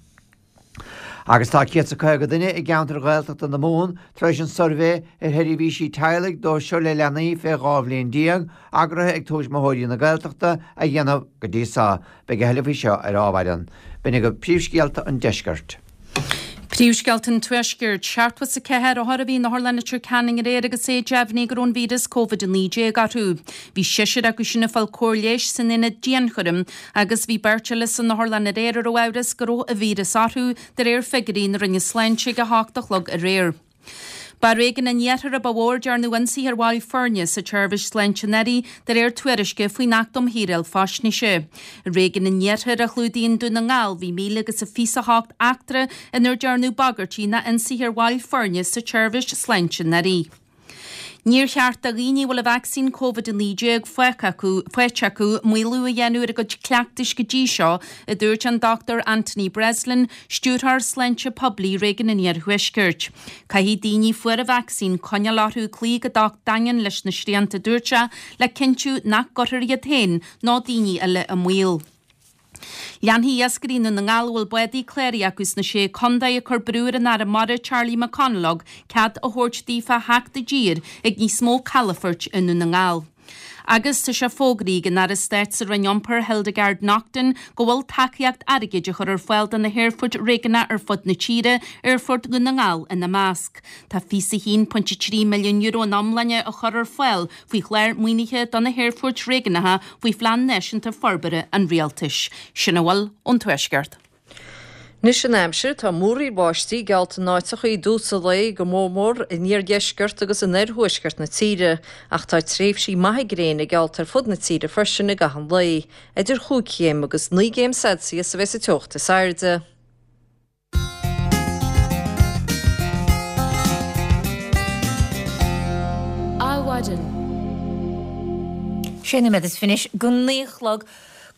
Agus tá 150 duine i gceantar Ghaeltachta na Mumhan tar éis an suirbhé ar sheirbhísí teaghlaigh dóibh seo le leanaí fé 12 bhliain, eagraithe ag Tuismitheoirí na Gaeltachta, a dhéanamh go dtí so. Beidh a thuilleadh faoi seo ar ámhairean. B'in agaibh príomhscéalta an deiscirt. Príomhscéalta an Tuaiscirt, 74 othar a bhí in Otharlann Leitir Ceanainn aréir agus é deimhnithe go raibh an víreas Covid-19 orthu. Bhí seisear acu sin ag fáil cóir leighis san aonad dianchúraim Agus bhí beirt eile san otharlann aréir a raibh amhras go raibh an víreas orthu, de réir figiúirí na Roinne Sláinte ag 8 a chlog aréir. Ba i réigiún an iarthair a ba mhó ar dearnadh ionsaithe ar bhaill foirne sa tseirbhís sláinte anuraidh, de réir tuairisce faoin Acht um Shaoráil Faisnéise. I réigiún an iarthair, a chlúdaíonn Dún na nGall, bhí míle agus a fiche a hocht eachtra inar dearnadh bagairtí ná ionsaithe ar bhaill foirne sa tseirbhís sláinte anuraidh. Níor cheart do dhaoine a bhfuil an vacsaín Covid-19 faighte acu maolú a dhéanamh ar a gcuid cleachtais go dtí seo, a dúirt an Dr Anthony Breslin, Stiúrthóir Sláinte Poiblí Réigiún an Iarthuaiscirt. Caithfidh daoine a fuair an vacsaín coinneáil orthu cloí go docht daingean leis na srianta, a dúirt sé, le cinntiú nach gcuirfear iad féin nó daoine eile i mbaol. Leanfaidh iascairí Dhún na nGall a bhfuil bádaí cláraithe acu sna Sé Contae ag cur brú ar an Aire Mara Charlie McConalogue cead a thabhairt daofa theacht i dtír ag níos mó calafoirt i nDún na nGall. Agus tá sé fógraithe ag an Aire Stáit sa Roinn Iompair Hildegarde Naughton go bhfuil tacaíocht airgid á chur ar fáil do na haerfoirt réigiúnacha ar fud na tíre, Aerfort Dhún na nGall ina measc. Tá €21.3 milliún ina iomláine á chur ar fáil faoi chlár maoinithe do na haerfoirt réigiúnacha faoi Phlean Náisiúnta Forbartha an Rialtais. Sin a bhfuil ón Tuaisceart. Anois an aimsir, tá múraíl bháistí geallta in áiteacha i dtús an lae, go mór mór in iardheisceart agus in oirthuaisceart na tíre, ach tá tréimhsí maithe gréine geallta ar fud na tíre freisin i gcaitheamh an lae. Idir chúig chéim agus naoi gcéim Celsius a bheas an teocht is airde. Adhmhaidin. Sé nóiméad is fiche anois go naoi a chlog.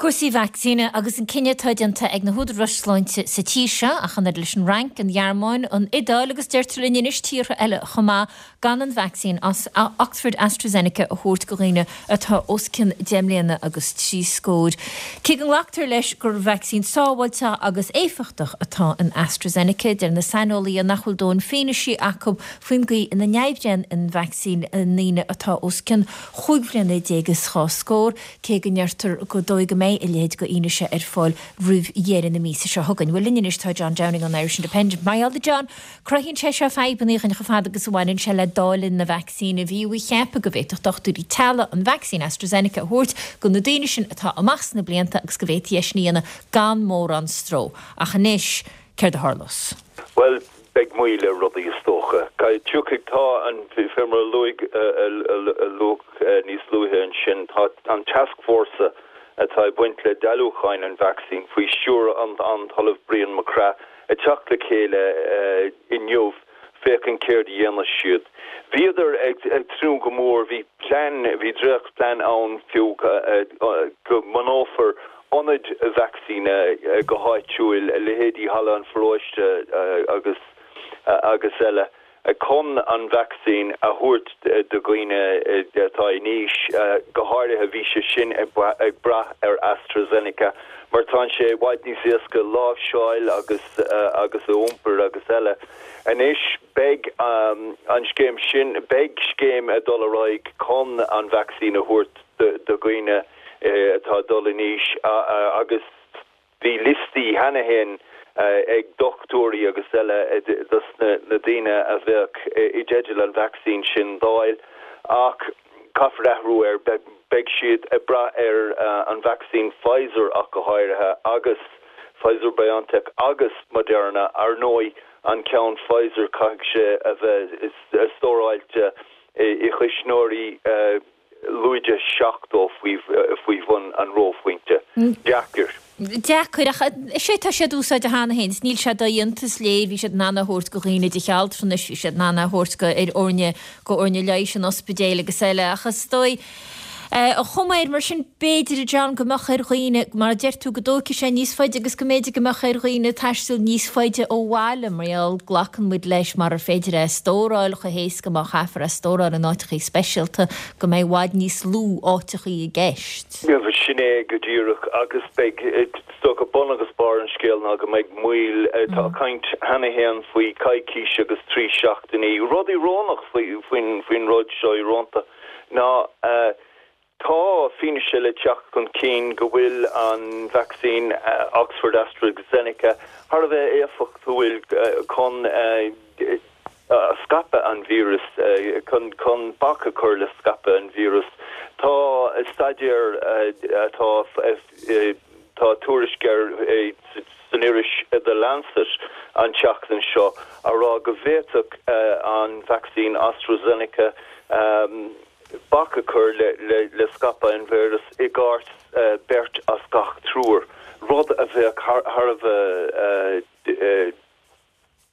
Cúrsaí vacsaíne agus an cinneadh atá déanta ag na húdaráis sláinte sa tír seo, ach an oiread leis an Fhrainc, an Ghearmáin, an Iodáil agus deirtear linn anois tíortha eile chomh maith, gan an vacsaín Oxford AstraZeneca a thabhairt go dhaoine atá os cionn 10 mbliana agus 3 scór. Cé go nglactar leis gur vacsaín sábháilte agus éifeachtach atá in AstraZeneca, deir na saineolaithe nach bhfuil dóthain fianaise acu faoin gcaoi ina n-oibríonn an vacsaín i ndaoine atá os cionn chúig bhliana déag is dhá scór, cé go ndeirtear gur dóigh go mbeidh. mbeidh a leithéid de fhianaise ar fáil roimh dheireadh na míosa seo chugainn. Bhuel, linn anois tá John Downing ón Irish Independent. Mar gheall, a John, cruthaíonn sé seo fadhbanna chun chomh fada agus a bhaineann sé le dáileadh na vacsaíne. Bhí á cheapadh go bhféadfadh dochtúirí teaghlaigh an vacsaín AstraZeneca a thabhairt do na daoine sin atá amach sna blianta agus go bhféadfaí é sin a dhéanamh gan mórán stró. Ach anois, céard a tharlós? Bhuel, beidh moill ar rudaí is dócha. Tiocfaidh, tá an, fé mar a luaigh, a luadh níos luaithe ansin, tá an tascfhórsa atá ag baint le dáiliúcháin an vacsaín faoi stiúir an tOllamh Brian MacCraith ag teacht le chéile inniu féachaint céard a dhéanfas siad. Bhíodar ag tnúth go mór, bhí plean, bhí dréachtphlean ann fiú go mbunófar ionaid vacsaíne go háitiúil, leithéidí Halla an Pharóiste agus agus eile, chun an vacsaín a thabhairt do dhaoine atá in aois, go háirithe bhí sé sin ag brath ar AstraZeneca mar tá sé i bhfad níos éasca láimhseáil agus agus a iompar agus eile. Anois beidh an scéim sin, beidh scéim ag dul ar aghaidh chun an vacsaín a thabhairt do dhaoine atá ag dul in aois agus bhí liostaí cheana féin ag dochtúirí agus eile dos na daoine a bheadh i dteideal an vacsaín sin d'fháil ach caithfear athrú air, beidh siad ag brath ar an vacsaín Pfizer ach go háirithe agus Pfizer BioNTech agus Moderna. Ar ndóigh an ceann Pfizer caithfidh sé a bheith stóráilte i gcuisneoirí lúide 70 faoi bhun an reophointe. Deacair. Deacair, ach is é tá siad á úsáid cheana féin. Níl sé dodhéanta, is léir, bhí siad in ann é a thabhairt go dhaoine de theach altranais, bhí siad in ann é a thabhairt go ar fhoirne, go fhoirne leighis an ospidéil agus eile, ach is dóigh, an chuma air mar sin, b'fhéidir, a John, go mbeadh ar dhaoine, mar a deir tú, go dtógfaidh sé níos faide agus go mb'fhéidir go mbeadh ar dhaoine taisteal níos faide ó bhaile mar gheall, glacann muid leis, marar féidir é a stóráil chomh héasca, má chaithfear é a stóráil in áiteachaí speisialta, go mbeidh i bhfad níos lú áiteachaí i gceist. Sin é go díreach agus beidh, is dócha, bun agus barr an scéil ná go mbeidh moill, tá caint cheana féin faoi coicís agus 3 seachtainí. Rud íorónach faoin rud seo, íorónta, ná tá fianaise le teacht chun cinn go bhfuil an vacsaín Oxford AstraZeneca thar a bheith éifeachtúil chun scaipeadh an víris, chun bac a chur le scaipeadh an víris. Tá staidéar atá, tá tuairisc air san iris The Lancet an tseachtain seo a rá go bhféadfadh an vacsaín AstraZeneca bac a chur le scaipeadh an víris i gcás beirt as gach triúr, rud a bheadh thar a bheith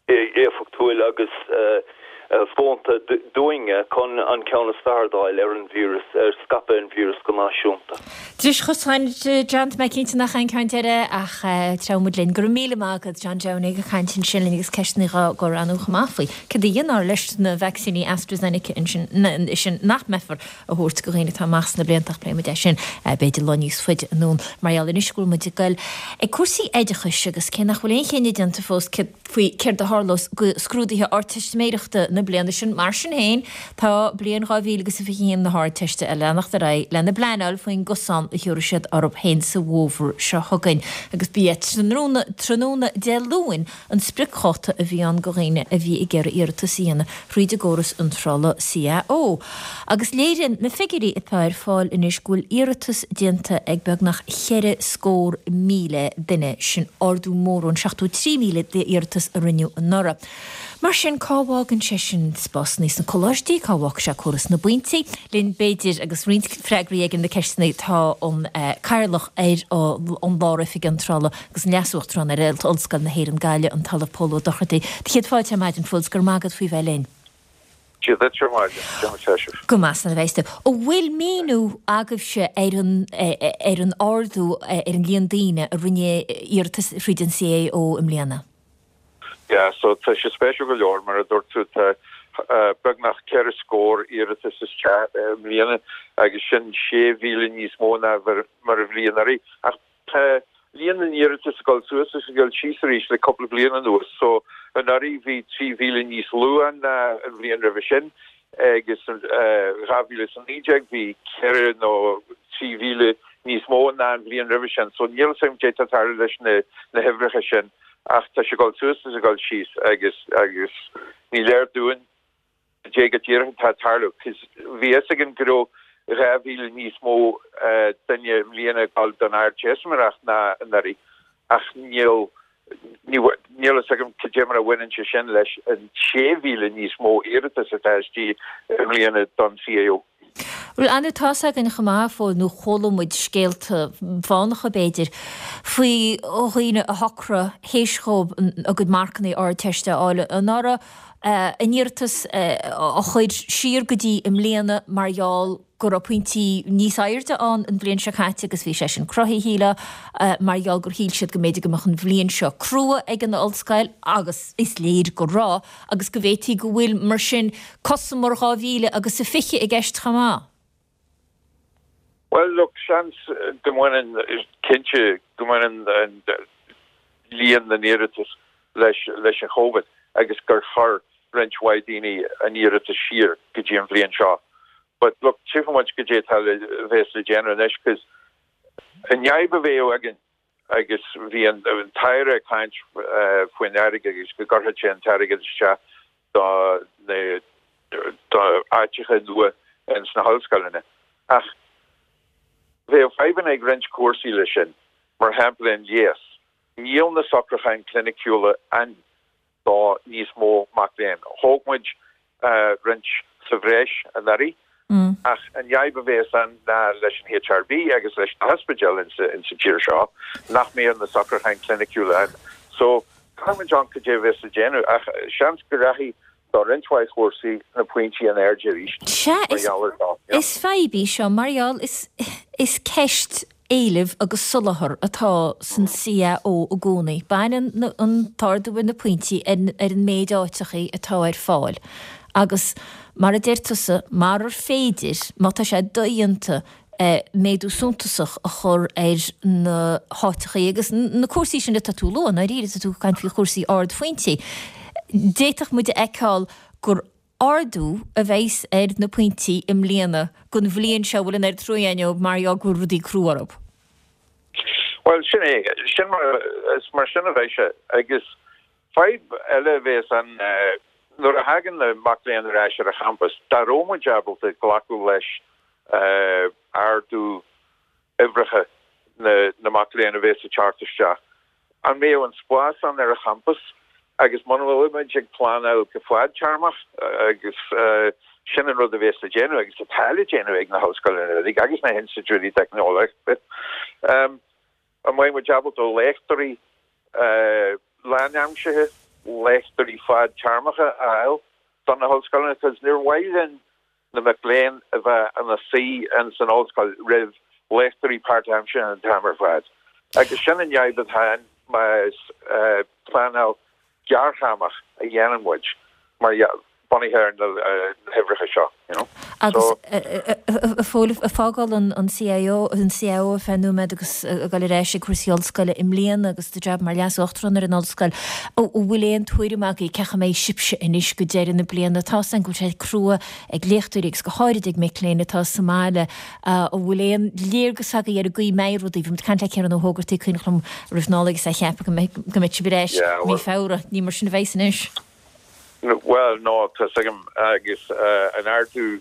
éifeachtúil agus fónta dúinne chun an ceann is fearr d'fháil ar an víreas, ar scaipeadh an víris go náisiúnta. Dris chosáin, John, tá mé cinnte nach é an ceann deiridh ach treabhfaidh muid linn. Go raibh míle maith agat, John Downing ag caint ansin linn agus ceisteanna dhá gcur ann chomh maith faoi céard a dhéanfar leis na vacsaíní AstraZeneca ansin nach mbeifear a thabhairt go dhaoine atá amach sna blianta ach pléifidh muid é sin b'fhéidir lá níos faide anonn. Mar gheall anois go bhfuil muid ag goil ag cúrsaí oideachais agus cé nach bhfuil aon chinneadh déanta fós faoi céard a tharlós go scrúduithe Ardteistiméireachta na bliana sin, mar sin féin tá bliain 2021 na hArdteiste ag leanacht ar aghaidh lena bpleanáil faoin gcosán a thiúrfaidh siad orthu féin sa bhfómhar seo chugainn agus ba é tráthnóna Dé Luain an spriocdháta a bhí ann go dhaoine a bhí ag iarraidh iarratas a dhéanamh thríd an gcóras iontrála CAO. Agus léiríonn na figiúirí atá ar fáil anois go bhfuil iarratas déanta ag beagnach 84,000 duine, sin ardú mór ón 73,000 d'iarratas a rinneadh anuraidh. Mar sin, cá bhfágann sé sin spásanna sna coláistí, cá bhfágfaidh sé córas na bpointí? Linn, b'fhéidir, agus roinnt freagraí ag na ceisteanna, tá an Cathaoirleach ar an Lár-Oifig Iontrála agus an Leas-Uachtarán ar Ollscoil na hÉireann, Gaillimh, an tOllamh Pól Ó Dochartaigh. Do chéad fáilte ar maidin, Phóil, 's go raibh maith agat faoi bheith linn. Dia duit ar maidin, conas tá sibh? Go maith, slán a bheas tú. An bhfuil míniú agaibhse ar an ar an ardú ar an líon daoine a rinne iarratas thríd an CAO i mbliana? Yeah, so tá sé spéisiúil go leor, mar a dúirt tú, tá beagnach 4 scór iarratas isteach i mbliana agus sin 6,000 níos mó ná mar a bhí anuraidh. Ach Tá líon na n-iarratas ag dul suas agus ag dul síos arís le cúpla bliain anuas. So, anuraidh bhí 3,000 níos lú ann ná an bhliain roimhe sin agus in 2019 bhí 4 nó 3,000 níos mó ná an bhliain roimhe sin. So níl 'fhios agam caidé atá ag tarlú leis na na huimhreacha sin ach tá sé ag dul suas is ag dul síos agus agus ní léir dúinn caidé go díreach atá ag tarlú 'cause bhí fhios againn go raibh 2,000 níos mó duine i mbliana ag dul don Ardteistiméireacht ná anuraidh ach níl níl fhios agam cad é mar a bhaineann sé sin leis an 6,000 níos mó iarratas atá istigh i mbliana don CAO. Bhuel, ar ndóigh, tá's againn chomh maith, a Phóil, nó chuala muid scéalta fánacha, b'fhéidir, faoi dhaoine a shocraigh, théis dhóibh a gcuid marcanna Ardteiste a fháil anuraidh, a n-iarratas a chur siar go dtí i mbliana mar gheall go raibh pointí níos airde ann an bhliain seo caite agus bhí sé sin cruthaithe, shílfeá, mar gheall gur shíl siad go mb'fhéidir go mbeadh an bhliain seo crua ag an ollscoil agus is léir go raibh. Agus go bhféadfaí go bhfuil, mar sin, cosamar 2000 agus a 20 i gceist chomh maith. Bhuel, look, seans go mbaineann, cinnte go mbaineann an líon na n-iarratas leis leis an Chovid agus gur chuir roinnt mhaith daoine a n-iarratas siar go dtí an bhliain seo. But look, tchífidh muid caidé atá le, bheas le déanamh anois 'cause an fhadhb a bheadh againn agus bhí an tAire ag caint faoin airgead agus go gcuirfeadh sé an t-airgead isteach do na do áiteacha nua ins na hollscoileanna. Ach bheadh fadhbanna ag roinnt cúrsaí leis sin, mar shampla an leigheas. Níl na socrúcháin cliniciúla ann do níos mó mac léinn. Thóg muid roinnt sa bhreis anuraidh ach an fhadhb a bhéas ann ná leis an HRB agus leis na hospidéil insa tír seo nach mbeadh na socrúcháin cliniciúla ann. So caithfidh muid amharc cad é a bhéas le déanamh ach seans go rachaidh do roinnt mhaith chúrsaí na pointí in airde arís Sea, mar gheall ar seo. Is fadhb í seo mar gheall is is ceist éilimh agus soláthar atá san CAO i gcónaí. Baineann an t-ardú ar na pointí ar an méid áiteachaí atá ar fáil agus mar a deir tusa, marar féidir, má tá sé dodhéanta méadú suntasach a chur ar na háiteachaí agus na cúrsaí sin atá tú a lua, i ndáiríre, tá tú ag caint faoi chúrsaí ardphointí, d'fhéadfadh muid a fheiceáil gur Ardú a bheas ar na pointí i mbliana don bhliain seo a bhfuil an oiread trua againn dóibh mar gheall go bhfuil rudaí crua orthu. Bhuel, sin é. Sin mar, is mar sin a bheidh sé. Agus fadhb eile a bhéas ann nuair a thagann na mac léinn ar ais ar an champas, dá raibh muid ábalta glacadh leis ardú uimhreacha na mac léinn a bhéas ag teacht isteach, An mbeadh an spás ann ar an champas agus muna bhfuil muid ag pleanáil go fadtéarmach agus sin an rud a bhéas le déanamh agus atá le déanamh ag na hollscoileanna uilig agus na hinstitiúidí teicneolaíochta, an mbeidh muid ábalta léachtóirí lánaimseartha, léachtóirí fadtéarmacha a fháil do na hollscoileanna? Because níor mhaith linn na mic léinn a bheith ina suí ins an ollscoil roimh léachtóirí páirtaimseartha an t-am ar fad. Agus sin an fhadhb atá ann más pleanáil gearrthéarmach a dhéanann muid mar bunaithe ar na huimhreacha seo, you know. Agus, a Phóil, ag fágáil an CAO, an CAO ar feadh nóiméad agus ag dul ar ais ag cúrsaí ollscoile i mbliana agus do jab mar Leas-Uachtarán ar an ollscoil, an bhfuil aon tuairim agaibh cén chaoi a mbeidh sibhse anois go deireadh na bliana? Tá 's agam go bhfuil sé crua ag léachtóirí agus go háirid ag mic léinn atá sa mbaile. An bhfuil aon léargas agaibh ar an gcaoi a mbeidh rudaí? Bhí muid ag caint le Ciarán Ó hÓgartaigh, cuimhneach liom, roimh Nollaig is é ag ceapadh go mbeidh sibh ar ais mí Feabhra. Ní mar sin a bheas anois. Bhuel, no, tá 's agam agus an ardú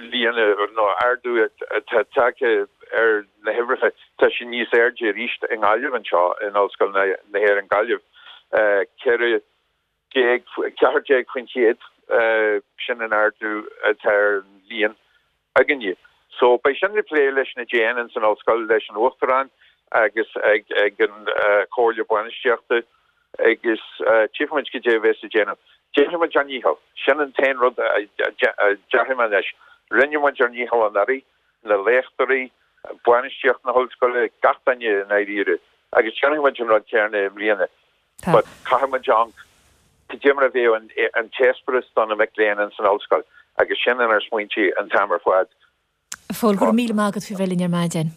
líon nó ardú atá tagtha ar na huimhreacha, tá sé níos airde arís i nGaillimh anseo in Ollscoil na hÉireann Gaillimh, 14, 14%, sin an ardú atá ar an líon againne. So beidh sin le plé leis na Déin ins an ollscoil, leis an Uachtarán agus ag ag an Chomhairle Bainistíochta agus tchífimid cad é a bheas le déanamh. Déanfaidh muid ár ndícheall. Sin an t-aon rud a déarfaidh mé anois. Rinne muid ár ndícheall anuraidh, na léachtóirí, bainistíocht na hollscoile, gach duine i ndáiríre agus déanfaidh muid an rud céanna i mbliana. But caithfidh muid amharc cad é mar a bheadh an t-eispéireas do na mic léinn ins an ollscoil agus sin inár smaointe an t-am ar fad. A Phóil, go raibh míle maith agat faoi bheith linn ar maidin.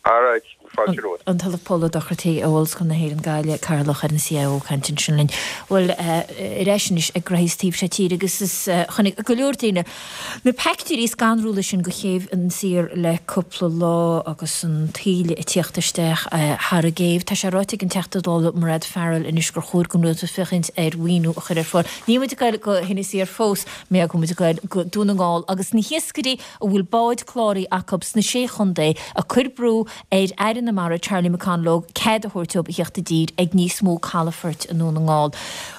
Alright. Fáilte romhat. An tOllamh Pól Ó Dochartaigh ó Ollscoil na hÉireann Gaillimh, Cathaoirleach ar an CIO ag caint ansin linn. Bhuel, ar ais anois ag graithí sa taobh seo tíre agus is chonaic go leor daoine na peictiúirí scanrúla sin de chéibh Inis Oírr le cúpla lá agus an taoille ag tíocht isteach thar an gcéibh. Tá sé ráite ag an Teachta Dála Mairéad Farrell anois gur chóir don Rialtas féachaint ar mhaoiniú a chur ar fáil. Níl muid ag goil go hInis Oírr fós, mé go muid ag goil go Dún na nGall agus na hiascairí a bhfuil báid cláraithe acu sna Sé Chontae ag cur brú ar Aire na Mara Charlie McConalogue cead a thabhairt dóibh a theacht i dtír ag níos mó calafoirt i nDún na nGall.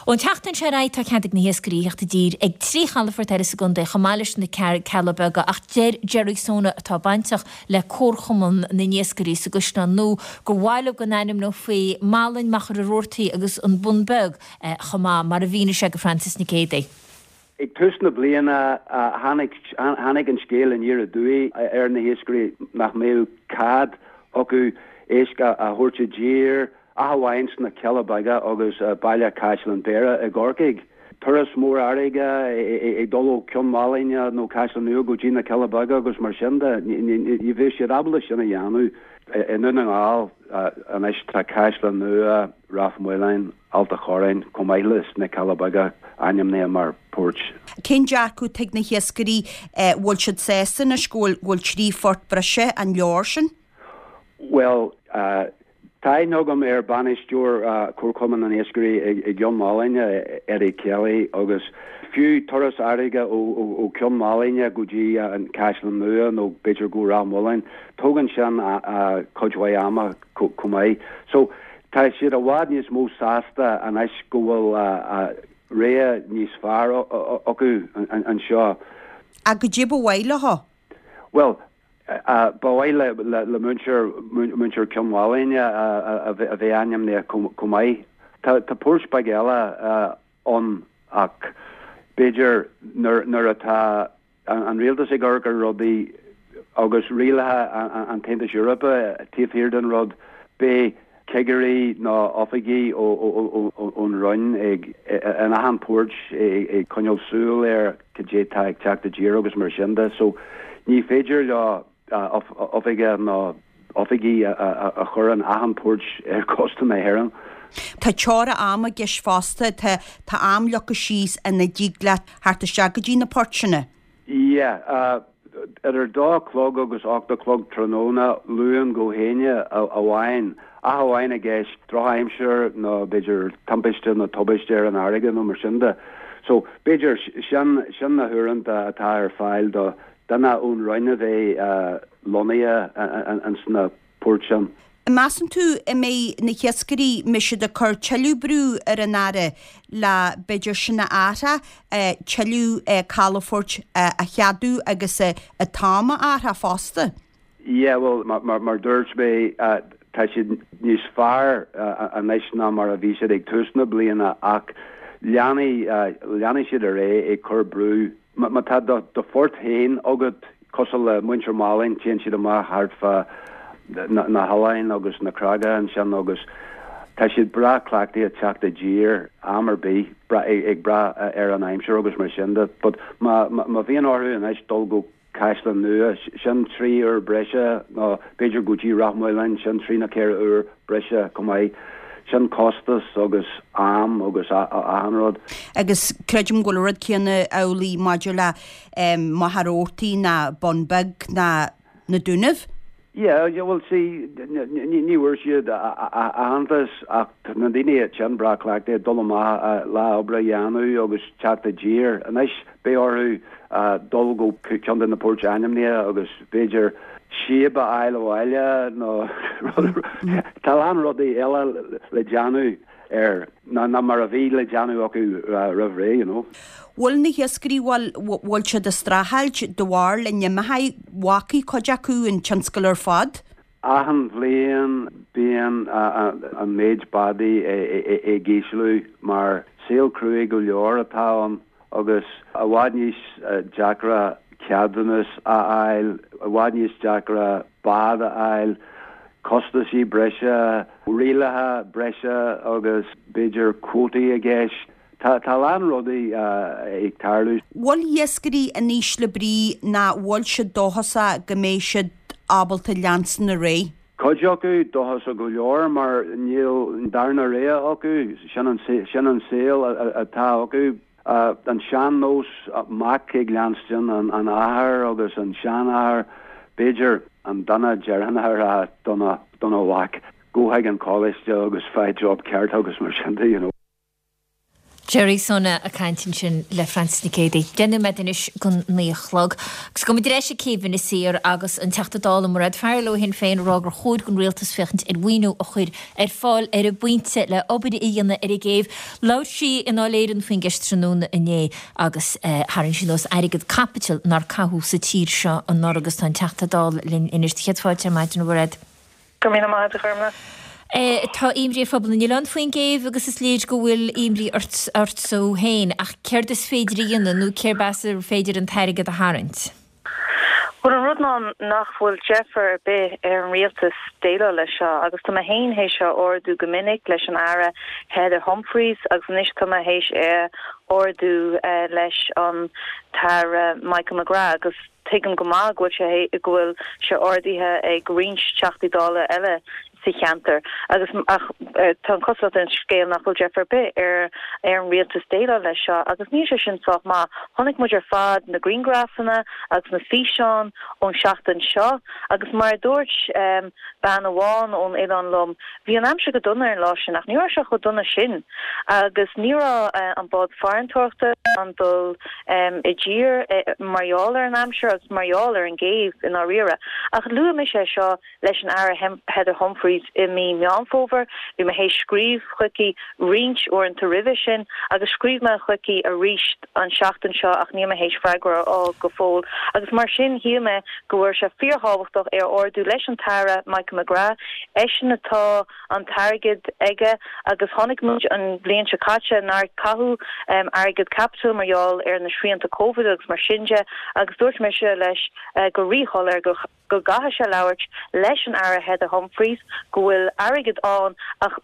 Ón tseachtain seo ar aghaidh tá cead ag na hiascairí a theacht i dtír ag 3 chalafort eile sa gcontae chomh maith leis na Cealla Beaga ach deir Gerry Sona atá bainteach le Comharchumann na nIascairí sa gCaisleán Nua gur mhaith leo go n-ainmneofaí Malainn, Machaire Rabhartaigh agus an Bun Beag chomh maith, mar a mhínigh sé go Frances Nic Géadaigh. Ag tús na bliana tháinig an scéal aniar aduaidh ar na hiascairí nach mbeadh cead acu éisc a thabhairt i dtír ach amháin sna Cealla Beaga agus baile Caisleán Bhéarra i gCorcaigh. Turas mór fharraige ag dul ó Cionn Mhálainne nó Caisleán Nua go dtí na Cealla Beaga agus mar sin de, ní bheadh siad ábalta sin a dhéanamh. I nDún na nGall anois tá Caisleán Nua, Ráth Maoláin, Ailt a' Chorráin, chomh maith leis na Cealla Beaga ainmnithe mar poirt. Cén dearcadh atá ag na hiascairí? Bhfuil siad sásta anois go bhfuil 3 phort breise, an leor sin? Bhuel, tá aithne agam ar bainisteoir Chomharchumann na nIascairí i gCionn Mhálainne, Eddie Kelly, agus fiú turas fharraige ó Chionn Mhálainne go dtí an Caisleán Nua nó b'fhéidir go Ráth Mhaoláin, tógann sin cuid mhaith ama. chomh maith. So, tá siad i bhfad níos mó sásta anois go bhfuil rogha níos fearr acu anseo. Ach goidé ba mhaith leo? Bhuel, ba mhaith le muintir, muintir Cionn Mhálainne a bheith ainmnithe chomh maith. Tá poirt beag eile ann ach b'fhéidir nuair atá an rialtas ag amharc ar rudaí agus rialacha an tAontais Eorpaigh taobh thiar den rud, beidh cigirí nó oifigigh ón Roinn ag in achan port ag coinneáil súil ar cad é tá ag teacht i dtír agus mar sin de. So ní féidir leo oifige nó oifigigh a chur in achan port ar chósta na hÉireann. Tá teora ama i gceist fosta, tá tá am leagtha síos ina dtig leat theacht isteach go dtí na poirteanna. Yeah, idir dó a chlog agus 8 a chlog tráthnóna, Luan go hAoine amháin, ach amháin i gcás drochaimsir nó b'fhéidir timpiste nó tubaiste ar an fharraige nó mar sin de. So, b'fhéidir sin sin na huaireanta atá ar fáil do duine ón Roinn a bheith lonnaithe ins na poirt sin. An measann tú an mbeidh na hiascairí, mbeidh siad ag cur tuilleadh brú ar an Aire le b'fhéidir sin a athrá, tuilleadh calafoirt a cheadú agus an t-am a athrá fosta? Yeah, bhuel, mar dúirt mé, tá siad níos fearr anois ná mar a bhí siad ag tús na bliana ach leanfaidh, leanfaidh siad ar aghaidh ag cur brú Má tá do phort féin agat, cosúil le muintir Mhálainn, téann siad amach thart fá na hoileáin agus na creaga ansin agus tá siad breá cleachtaithe teacht i dtír am ar bith, ag brath ar an aimsir agus mar sin de. But má bhíonn orthu anois dul go Caisleán Nua, sin 3 uair breise nó b'fhéidir go dtí Ráth Maoláin, sin 3 nó 4 uair breise chomh maith. Sin costas agus am agus achan rud. Agus creidim go bhfuil an rud céanna amhlaidh maidir le Machaire Rabhartaigh ná Bun Beag ná na Dúnaibh. Yeah, yeah, well see, ní bhfuair siad aitheantas ach tá na daoine sin breá cleachtaithe dul amach lá oibre a dhéanamh agus teacht i dtír. Anois beidh orthu dul go ceann de na poirt ainmnithe agus b'fhéidir síob a fháil abhaile nó tá a lán rudaí eile le déanamh air ná mar a bhí le déanamh acu roimh ré, you know. Bhfuil na hiascairí, bhfuil, bhfuil siad ag streachailt de bharr le n-imeochaidh, bhfágfaidh cuid acu an tionscal ar fad? Achan bhliain bíonn an méid bádaí ag ísliú mar saol cruaidh go leor atá ann agus i bhfad níos deacra ceadúnas a fháil, i bhfad níos deacra bád a fháil, costaisí breise, rialacha breise agus b'fhéidir cuótaí i gceist. Tá a lán rudaí ag tarlú. Bhfuil iascairí in ísle brí ná bhfuil siad dóchasach go mbeidh siad ábalta leanstan ar aghaidh? Cuid acu dóchasach go leor mar níl darna rogha acu, sin an sin an saol atá acu. An sean-nós, mac ag leanstan an athar agus an seanathair, b'fhéidir an duine deireanach a rá dona dona mhac, gabh chuig an choláiste agus faigh job ceart agus mar sin de, you know. Gerry Soene ag caint ansin le Frances Nic Géadaigh. 10 nóiméad anois don 9 a chlog. Agus gabhfaidh muid ar ais ag céibh Inis Oírr agus an Teachta Dála Mairéad Farrell ó Shinn Féin ag rá gur chóir don Rialtas féachaint ar mhaoiniú a chur ar fáil ar an bpointe le obair a dhéanamh ar an gcéibh. Labhair sí i nDáil Éireann faoin gceist tráthnóna inné agus tharraing sí anuas airgead caipitil nár caitheadh sa tír seo anuraidh agus tá an Teachta Dála linn anois. Céad fáilte ar maidin, a Mhairéad. Go raibh míle maith agat, a Ghormfhlaith. Tá imní ar phobal na n-oileán faoin gcéibh agus is léir go bhfuil imní ortsa féin, ach céard is féidir a dhéanamh nó cérb as ar féidir an t-airgead a tharraingt? Bhuel, an rud ná nach bhfuil deifir ar bith ar an rialtas déileáil leis seo agus tá mé féin théis é a ardú go minic leis an Aire Heather Humphreys agus anois tá mé théis é a ardú leis an tAire Michael McGrath agus Tuigim go maith go bhfuil sé go bhfuil sé ardaithe ag roinnt Teachtaí Dála eile sa cheantar agus ach tá an chosúlacht ar an scéal nach bhfuil deifir ar bith ar ar an rialtas déileáil leis seo agus níl sé sin sách maith. Chonaic muid ar fad na grianghrafanna agus na físeáin ón seachtain seo agus mar a dúirt bean amháin ón oileán liom, bhí an aimsir go dona ar an lá sin ach ní raibh sé chomh dona sin agus ní raibh an bád farantóireachta in ann dul i dtír mar gheall ar an aimsir agus mar gheall ar an gcéibh i ndáiríre. Ach luaigh mise é seo leis an Aire Heather Humphreys i mí Meán Fómhair, bhí mé théis scríobh chuici roinnt uaireanta roimhe sin agus scríobh mé chuici arís an seachtain seo ach níl mé théis freagra a fháil go fóill agus mar sin shíl mé go bhfuil sé fíorthábhachtach é a ardú leis an tAire Michael McGrath, eisean atá an t-airgead aige agus chonaic muid an bhliain seo caite nár caitheadh airgead caipitil mar gheall ar na srianta Covid agus mar sin de agus dúirt mise leis go ríshoiléir go go gcaithfidh sé labhairt leis an Aire Heather Humphreys go bhfuil airgead ann ach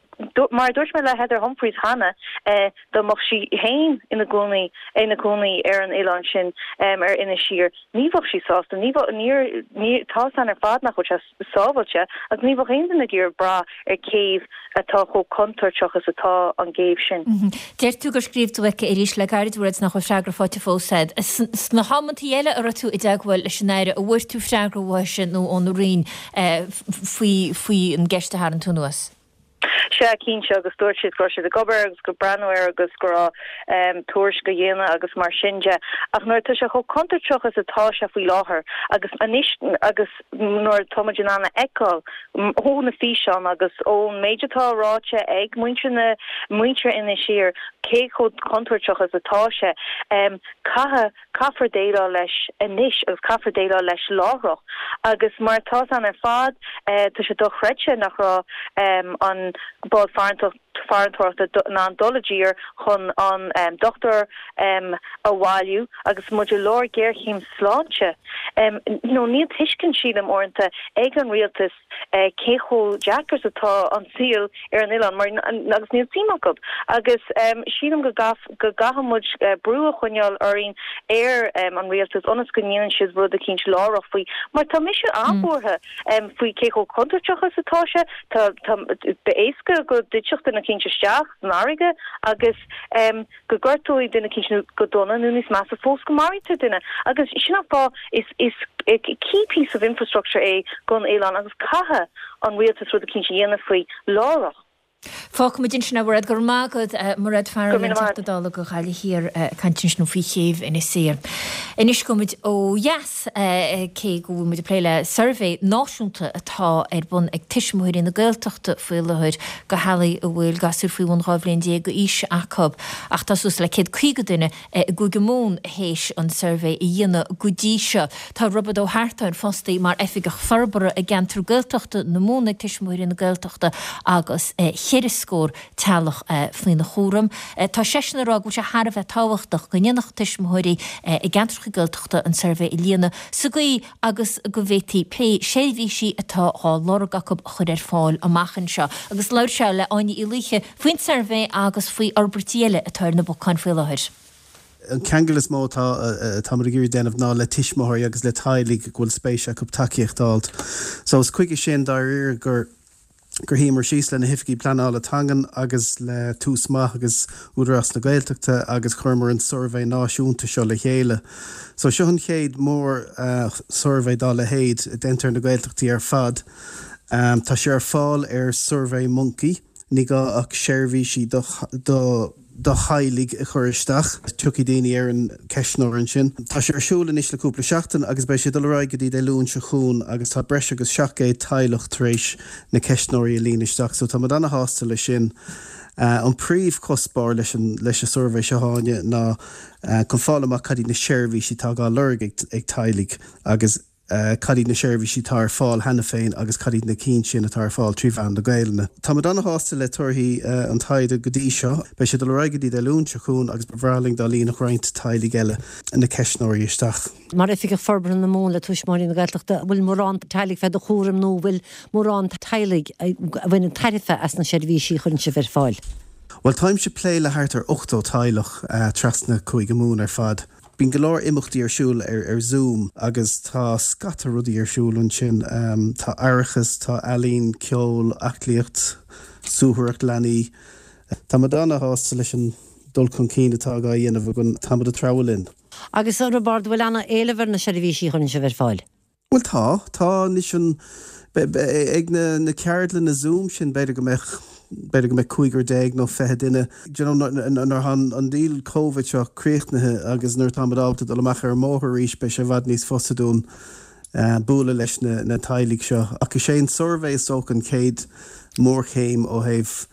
mar a dúirt mé le Heather Humphreys cheana dá mbeadh sí féin ina gcónaí ina cónaí ar an oileán sin ar Inis Oírr ní bheadh sí sásta ní bheadh níor ní tá 's againn ar fad nach bhfuil sé sábháilte agus ní bheadh aon duine ag iarraidh brath ar chéibh atá chomh contúirteach is atá an gcéibh sin. Deir tú gur scríobh tú chuici arís le gairid, a Mhairéad, nach bhfuil freagra faighte fós agat. Sna hamantaí eile a raibh tú i dteagmháil leis an Aire, an bhfuair tú freagra uaithe nó óna Roinn faoi faoi an gceist a tharraing tú anuas? Sea, cinnte, agus dúirt siad go raibh siad ag obair agus ag breathnú air agus go raibh tuairisc á dhéanamh agus mar sin de. Ach nuair atá sé chomh contúirteach is atá sé faoi láthair agus anois agus nuair atá muid in ann a fheiceáil ó na físeáin agus ón méid atá ráite ag muintir na muintir Inis Oírr cé chomh contúirteach is atá sé, caithfidh, caithfear déileáil leis anois agus caithfear déileáil leis láithreach. Agus mar atá 's againn ar fad, tá sé dochreidte nach raibh an bád farantóireachta in ann dul i dtír chun an dochtúir a bhailiú agus muid i lár géarchéim sláinte. Nó níl tuiscint, sílim, uaireanta ag an rialtas cé chomh deacair is atá an saol ar an oileán mar agus níl suim acu. Agus sílim go go gcaithfidh muid brú a choinneáil orainn ar an rialtas ionas go ndéanann siad rud eicínt láithreach faoi mar tá mise an-bhuartha faoi cé chomh contúirteach is atá sé. Tá tá b'éasca go dtitfeadh duine eicínt isteach san fharraige agus go gortóidh duine eicínt nó go dona nó níos measa fós go maraítear duine agus sin an fáth is is key piece of infrastructure é don oileán agus caithfidh an rialtas rud eicínt a dhéanamh faoi láithreach. Fágfaimid ansin é, a Mhairéad. Go raibh maith agat, Mairéad Farrell, an Teachta Dála do Ghaillimh Thiar, ag caint ansin faoi chéibh Inis Oírr. Anois gabhfaimid ó dheas, cé go bhfuil muid ag plé le suirbhé náisiúnta atá ar bun ag Tuismitheoirí na Gaeltachta faoi láthair do theaghlaigh a bhfuil gasúir faoi bhun 12 bhliain d'aois acu, ach tá suas le 150 duine i gCúige Mumhan théis an suirbhé a dhéanamh go dtí seo. Tá Roibeard Ó hEartáin fostaithe mar Oifigeach Forbartha i gceantar Gaeltachta na Mumhan ag Tuismitheoirí na Gaeltachta agus cheithre scór teaghlach faoina chúram. Tá seisean ag rá go bhfuil sé thar a bheith tábhachtach go ndéanfadh tuismitheoirí i gceantracha Gaeltachta an suirbhé a líonadh sa gcaoi agus go bhféadfaí pé seirbhísí atá á lorg acu a chur ar fáil amach anseo. Agus labhair sé le Áine Uí Laoithe faoin suirbhé agus faoi fhorbairtí eile atá ar na bacáin faoi láthair. An ceangal is mó atá atáimid ag iarraidh déanamh ná le tuismitheoirí agus le teaghlaigh go bhfuil spéis acu tacaíocht a fháilt. So is chuige sin dáiríre gur gur shuíomar síos le na hoifigigh pleanála teangan agus le Tús Maith agus Údarás na Gaeltachta agus chuireamar an suirbhé náisiúnta seo le chéile. So seo an chéad mór suirbhé dá leithéid a déanta ar na Gaeltachtaí ar fad. Tá sé ar fáil ar Survey Monkey. Ní gá ach seirbhísí do do do theaghlaigh a chur isteach. Tiocfaidh daoine ar an ceistneoir ansin. Tá sé ar siúl anois le cúpla seachtain agus beidh sé ag dul ar aghaidh go dtí Dé Luain seo chugainn agus tá breis agus 700 teaghlach tar éis na ceistneoirí a líonadh isteach so tá muid ana-shásta leis sin. An príomhchuspóir leis an leis an suirbhé seo Áine ná chun fáil amach cad iad na seirbhísí atá á lorg ag ag teaghlaigh agus cad iad na seirbhísí atá ar fáil cheana féin agus cad iad na cinn sin atá ar fáil trí mheán na Gaelainne. Táimid ana-shásta le torthaí an taighde go dtí seo. Beidh sé ag dul ar aghaidh go dtí Dé Luain seo chugainn agus ba bhreá linn dá líonfadh roinnt teaghlaigh eile na ceistneoirí isteach. Mar Oifigeach Forbartha na Mumhan le Tuismitheoirí na Gaeltachta, an bhfuil mórán teaghlaigh fé do chúram nó an bhfuil mórán teaghlaigh a bhaineann tairbhe as na seirbhísí a chuireann sibh ar fáil? Bhuel, táimse ag plé le thart ar 80 teaghlach trasna Cúige Mumhan ar fad. Bíonn go leor imeachtaí ar siúl ar Zoom agus tá scata rudaí ar siúl ansin. Tá aireachas, tá ealaín, ceol, aclaíocht, suathaireacht leanaí. Táimid ana-shásta leis an dul chun cinn atá á dhéanamh againn. Táimid ag treabhadh linn. Agus a Roibeárd, an bhfuil ana-éileamh ar na seirbhísí a chuireann sibh ar fáil? Bhuel tá, tá anois an, ag na na ceardlanna Zoom sin b'fhéidir go mbeadh, b'fhéidir go mbeadh cúigear déag nó 20 duine. Do you know nuair atá an deal Covid seo críochnaithe agus nuair atáimid ábalta dul amach ar an mbóthar arís beidh sé i bhfad níos fusa dúinn bualadh leis na na teaghlaigh seo. Ach is é an suirbhé is dócha an chéad mhórchéim ó thaobh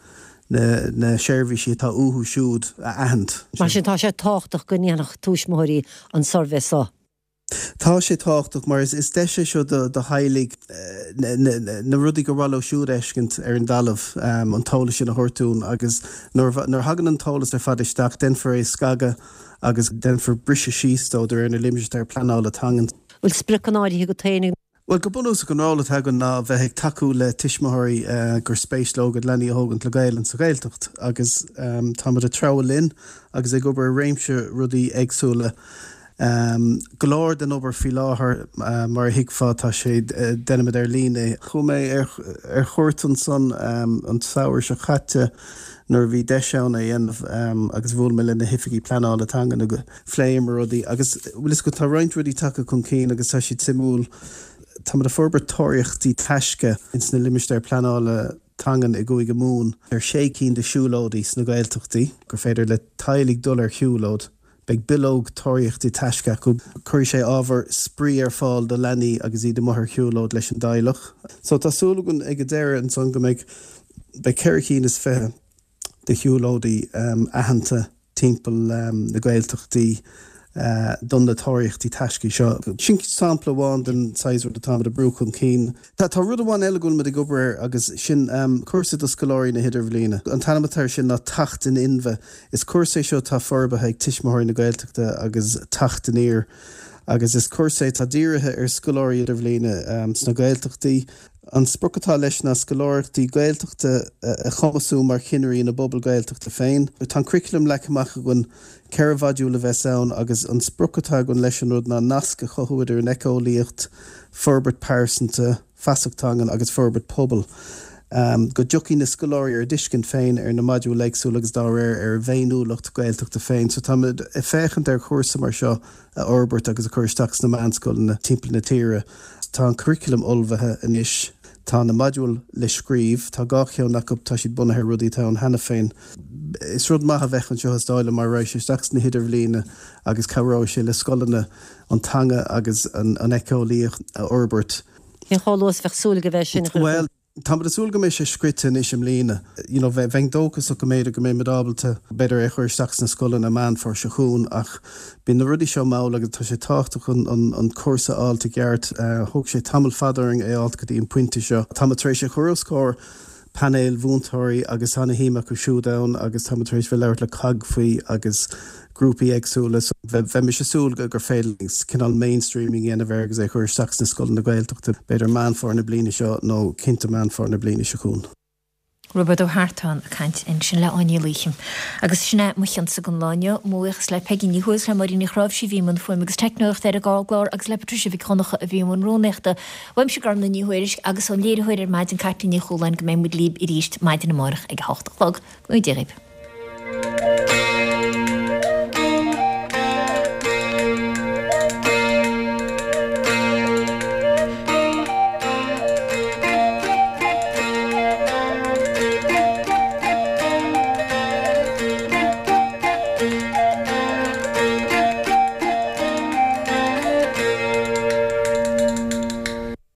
na na seirbhísí atá uathu siúd a aithint. Mar sin tá sé tábhachtach go ndéanfadh tuismitheoirí an suirbhé seo. Tá sé tábhachtach mar is deis é seo do theaghlaigh na rudaí gur mhaith leo siúd a fheiscint ar an dtalamh, an t-eolas sin a thabhairt dúinn agus nuair a thagann an t-eolas ar fad isteach, déanfar é a scagadh agus déanfar briseadh síos dó de réir na limistéar pleanála teangan. Bhfuil spriocanna áirithe agat féin? Bhuel, go bunúsach an ról atá againn ná bheith ag tacú le tuismitheoirí gur spéis leo a gcuid leanaí a thógaint le Gaelainn sa Ghaeltacht agus táimid ag treabhadh linn agus ag obair ar réimse rudaí éagsúla. Go leor den obair faoi láthair, mar a thuigfeá, tá sé, déanaimid ar líne é. Chuaigh mé ar chuairt ansan an samhradh seo caite nuair a bhí deis ann é a dhéanamh agus bhuail mé le na hoifigigh pleanála teangan agus phléamar rudaí agus bhfuil fhios agat tá roinnt rudaí tagtha chun cinn agus tá siad suimiúil. Táimid ag forbairt tóraíochtaí taisce ins na limistéir pleanála teangan i gCúige Mumhan ar sé cinn de siúlóidí sna Gaeltachtaí gur féidir le teaghlaigh dul ar shiúlóid. Beidh bileog tóraíochtaí taisce acu. Cuirfidh sé ábhar spraoi ar fáil do leanaí agus iad amuigh ar shiúlóid leis an dteaghlach. So tá súil againn ag an deireadh ansan go mbeidh beidh 24 cinn de shiúlóidí aitheanta timpeall na Gaeltachtaí do na tóraíochtaí taisce seo. Sin sampla amháin den saghas rud atáimid ag brú chun cinn. Tá rud amháin eile go bhfuilimid ag obair air agus sin cúrsa do scoláirí na hIdirbhliana. An t-ainm atá air sin ná Teacht in Inmhe. Is cúrsa é seo atá forbartha ag Tuismitheoirí na Gaeltachta agus Teacht Aniar agus is cúrsa é atá dírithe ar scoláirí Idirbhliana sna Gaeltachtaí. An sprioc atá leis ná scoláireachtaí Gaeltachta a chumasú mar chinnirí ina bpobal Gaeltachta féin. Tá an curriculum leagtha amach againn, 4 mhodúl a bheas ann agus an sprioc atá againn leis an rud ná nasc a chothú idir an éiceolaíocht, forbairt pearsanta, feasacht teangan agus forbairt pobail. Go dtiocfaidh na scoláirí ar a dtuiscint féin ar na modúil éagsúla agus dá réir ar a bhféiniúlacht Gaeltachta féin. So táimid ag féachaint ar chúrsa mar seo a fhorbairt agus a chur isteach sna meánscoileanna timpeall na tíre. Tá an curriculum ullmhaithe anois, tá na modúil le scríobh, tá dhá cheann acu, tá siad bunaithe ar rudaí atá ann cheana féin. Is rud maith a bheadh anseo is dóigh liom mar raghaidh sé isteach sna hidirbhliana agus cabhróidh sé le scoileanna an teanga agus an éiceolaíocht a fhorbairt. Cén chomh luath is a bheadh súil go bheidh sin a chur Bhuel, Táimid ag súil go mbeidh sé scrite anois i mbliana. You know, bheinn dóchasach go mb'fhéidir go mbeimid ábalta, b'fhéidir é a chur isteach sna scoileanna Meán Fómhair seo chugainn ach bíonn na rudaí seo mall agus tá sé tábhachtach an, an, an cúrsa a fháilt i gceart. Thóg sé tamall fada orainn é a fháilt go dtí an pointe seo. Táimid tar éis é a chur os comhair painéil mhúinteoirí agus tá ana-shuim acu siúd ann agus táimid tar éis bheith ag labhairt le COGG faoi agus grúpaí éagsúla so bheimis ag súil gur féidir linn cineál mainstreaming a dhéanamh air agus é a chur isteach sna scoileanna Gaeltachta b'fhéidir Meán Fómhair na bliana seo nó cinnte Meán Fómhair na bliana seo chugainn. Roibeard Ó hEartáin ag caint ansin le Áine Ní Laoithe. Agus sin é mo chionsa don lá inniu. Mo bhuíochas le Peigí Ní Thuathail, le Máirín Ní Chráimhsí a bhí i mbun fuaime agus teicneoireachta ar an gclár agus le Patricia Mhic Dhonncha a bhí i mbun rúnaíochta. Uaimse Gormlaith Ní Thuairisg agus ón léiritheoir ar maidin Caitlín Ní Chualáin go mbeidh muid libh arís maidin amárach ag a hocht a chlog. Go ngnóthaí Dia dhaoibh.